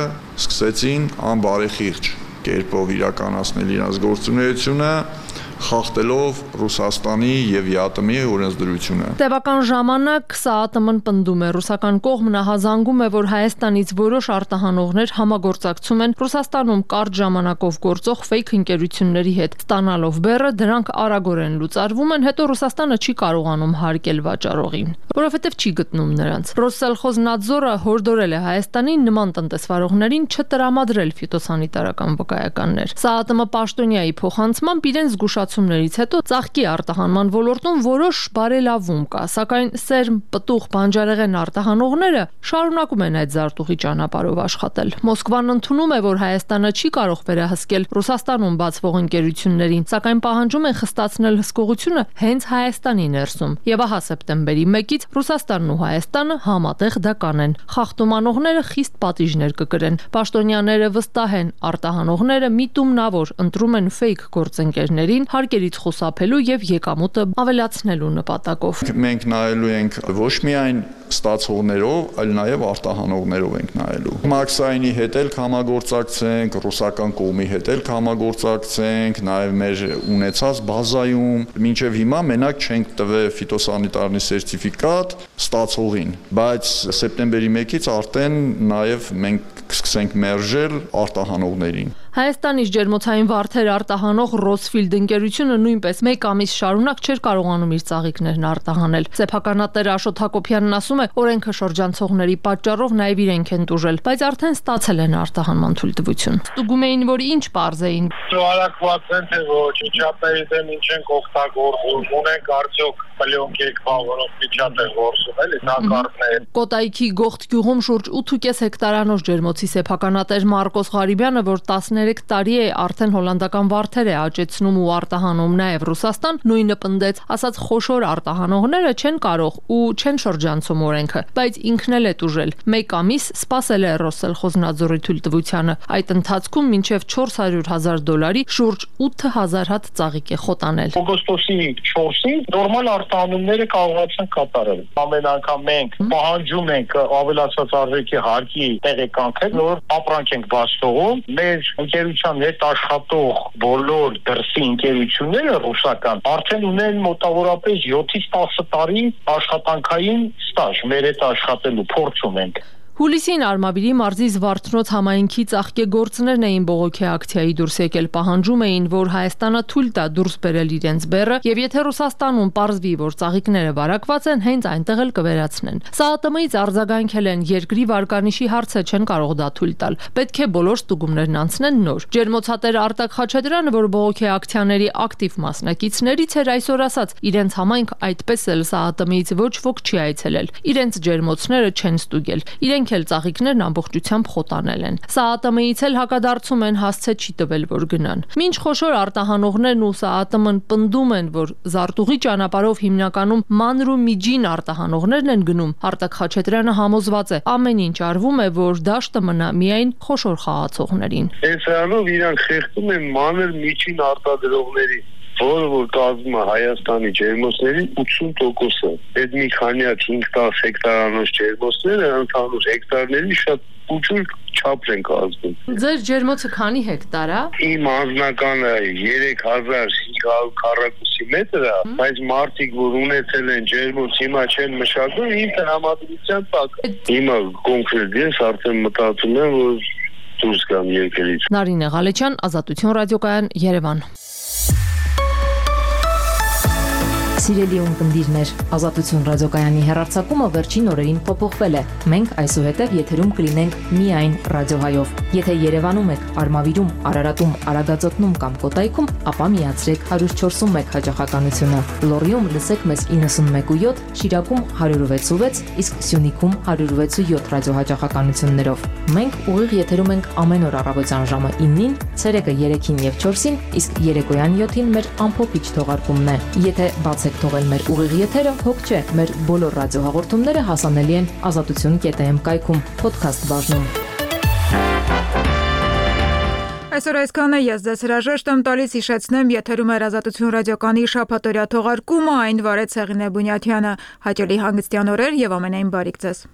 սկսեցին անբարեխիղճ կերպով իրականացնել իրենց գործունեությունը, խախտելով Ռուսաստանի եւ ԵԱՏՄ-ի օրենսդրությունը։ Տևական ժամանակ ՍԱԱՏՄ-ն պնդում է, ռուսական կողմն ահազանգում է, որ Հայաստանից որոշ արտահանողներ համագործակցում են Ռուսաստանում կարճ ժամանակով գործող ֆեյք ընկերությունների հետ, ստանալով բեռը, դրանք արագորեն լուծարվում են, հետո Ռուսաստանը չի կարողանում հարկել վաճառողին, որովհետեւ չի գտնում նրանց։ Ռոսելխոզնադզորը հորդորել է Հայաստանին նման տնտեսվարողներին չտրամադրել ֆիտոսանիտարական վկայականներ։ ՍԱԱՏՄ պաշտոնյայի փոխանցմամբ իրենց զգուշացումներից հետո ծաղկի արտահանման ոլորտում որոշ բարելավում կա, սակայն սերմ, պտուղ, բանջարեղեն արտահանողները շարունակում են այդ զարտուղի ճանապարհով աշխատել։ Մոսկվան ընդունում է, որ Հայաստանը չի կարող վերահսկել Ռուսաստանում բացվող ընկերություններին, սակայն պահանջում են խստացնել հսկողությունը հենց Հայաստանի ներսում։ Եվ ահա սեպտեմբերի մեկից Ռուսաստանն ու Հայաստանը համատեղ դա կանեն։ Խախտումանողները խիստ պատիժներ կկրեն։ Պաշտոնյաները վստահ են, արտահանողները միտումնավոր ընտրում են ֆեյք գործընկերներին հարկերից խուսափելու եւ եկամուտը ավելացնելու նպատակով։ Մենք նայելու ենք ոչ միայն ստացողներով, այլ նաև արտահանողներով ենք նայելու։ Մաքսայինի հետ էլ կհամագործակցենք, ռուսական կողմի հետ էլ կհամագործակցենք, նաև մեր ունեցած բազայում մինչև հիմա մենակ չենք տվել ֆիտոսանիտարնի սերտիֆիկատ ստացողին, բայց սեպտեմբերի մեկից արդեն նաև մենք կսկսենք մերժել արտահանողներին։ Հայաստանից ջերմոցային վարդեր արտահանող Ռոսֆիլդ ընկերությունը նույնպես մեկ ամիս շարունակ չէր կարողանում իր ծաղիկներն արտահանել։ Սեփականատեր Աշոտ Հակոբյանն ասում է, օրենքը շրջանցողների պատճառով նաև իրենք են տուժել, բայց արդեն ստացել են արտահանման թույլտվություն։ Ստուգում էին, որ ինչ պարզ էին։ Շարակված են թե ոչ, միջատների դեմ ինչ են օգտագործում, ունենք արդյոք պլյոնք եկվա, որոնք միջատ են գործում, էլի նակարդներ։ Կոտայքի Գողթ գյուղում շուրջ ութ ու կես հեկտարանոց ջերմոցի սեփականատեր Մարկոս Ղարիբյանը, որ տասներեք տարի է արդեն հոլանդական վարդեր է աճեցնում ու արտահանում նաև Ռուսաստան, նույնը պնդեց, ասաց խոշոր արտահանողները չեն կարող ու չեն շրջանցում օրենքը, բայց ինքն էլ է տուժել։ Մեկ ամիս սպասել է Ռոսելխոզնադզորի թույլտվությանը։ Այդ ընթացքում մինչև չորս հարյուր հազար դոլարի շուրջ ութ հազար հատ ծաղիկ է խոտանել։ Օգոստոսի չորսին նորմալ արտահանումները կարողացան կատարել։ Ամեն անգամ մենք պահանջում ենք ավելացած արժեքի հարկի տեղեկանքը Մենք նոր ապրանք ենք բաց թողում, մեր ընկերության հետ աշխատող բոլոր դրսի ընկերությունները ռուսական արդեն ունեն մոտավորապես յոթից տասը տարի աշխատանքային ստաժ, մեր հետ աշխատելու փորձ ունենք։ Հուլիսին Արմավիրի մարզի Զվարթնոց համայնքի ծաղկեգործներն էին բողոքի ակցիայի դուրս եկել, պահանջում էին, որ Հայաստանը թույլ տա դուրս բերել իրենց բեռը, եւ եթե Ռուսաստանում պարզվի, որ ծաղիկները վարակված են, հենց այնտեղ էլ կվերացնեն։ ՍԱԱՏՄ-ից արձագանքել են, երկրի վարկանիշի հարցը չեն կարող դա թույլ տալ։ Պետք է բոլոր ստուգումներն անցնեն նոր։ Ջերմոցատեր Արտակ Խաչատրյանը, որ բողոքի ակցիաների ակտիվ մասնակիցներից էր, այսօր ասաց, իրենց համայնք այդպես էլ ՍԱԱՏՄ-ից ոչ ոք չի այցելել։ Իրենց ջերմոցները չեն ստուգել։ Իրենք էլ ծաղիկներն ամբողջությամբ խոտանել են։ ՍԱԱՏՄ-ից էլ հակադարձում են, հասցե չի տվել, որ գնան։ Մինչ խոշոր արտահանողներն ու ՍԱԱՏՄ-ն պնդում են, որ զարտուղի ճանապարհով հիմնականում մանր ու միջին արտահանողներն են գնում, Արտակ Խաչատրյանը համոզված է, ամեն ինչ արվում է, որ դաշտը մնա միայն խոշոր խաղացողներին։ Այսրանով իրանք խեղդում են մանր միջին արտադրողներին, որը որ կազմում է Հայաստանի ջերմոցների ութսուն տոկոսը։ Այդ մի քանյակ հինգ տասը հեկտարանոց ջերմոցները ընդհանուր հեկտարների շատ ուժուր չափ են կազմում։ Ձեր ջերմոցը քանի հեկտար է։ Իմ անձնականը երեք հազար հինգ հարյուր քառակուսի մետր է, բայց մարդիկ, որ ունեցել են ջերմոց, հիմա չեն մշակում, ինձ համադրության տակ։ Հիմա կոնկրետ ես արդեն մտածում եմ, որ դուրս գամ երկրից։ Նարինե Ղալեչյան, Ազատություն ռադիոկայան, Երևան։ Սիրելի ունկնդիրներ, Ազատություն ռադիոկայանի հեռարձակումը վերջին օրերին փոփոխվել է։ Մենք այսուհետև եթերում կլինենք միայն ռադիոհայով։ Եթե Երևանում եք, Արմավիրում, Արարատում, Արագածոտնում կամ Կոտայքում, ապա միացրեք հարյուր չորսունմեկ հաճախականությունը։ Լոռիում լսեք մեզ իննսունմեկ ու յոթ, Շիրակում հարյուր վեց ու վեց, իսկ Սյունիքում հարյուր վեց ու յոթ ռադիոհաճախականություններով։ Մենք ուղիղ եթերում ենք ամեն օր առավոտյան ժամը իննին, ցերեկը երեքին եւ չորսին, իսկ երեկոյան յոթին մեր ամփոփիչ թողարկումն է։ Եթե բաց թողել մեր ուղիղ եթերը, հոգ չէ, մեր բոլոր ռադիոհաղորդումները հասանելի են ազատություն կետ էմ կայքում, podcast բաժնում։ Այսօր այսքանը ես ձեզ հրաժեշտ եմ տալիս, հիշեցնեմ, եթերում էր Ազատություն ռադիոկայանի շաբաթօրյա թողարկումը, այն վարեց Հեղինե Բունյաթյանը։ Հաճելի հանգստյան օրեր եւ ամենայն բարիք ձեզ։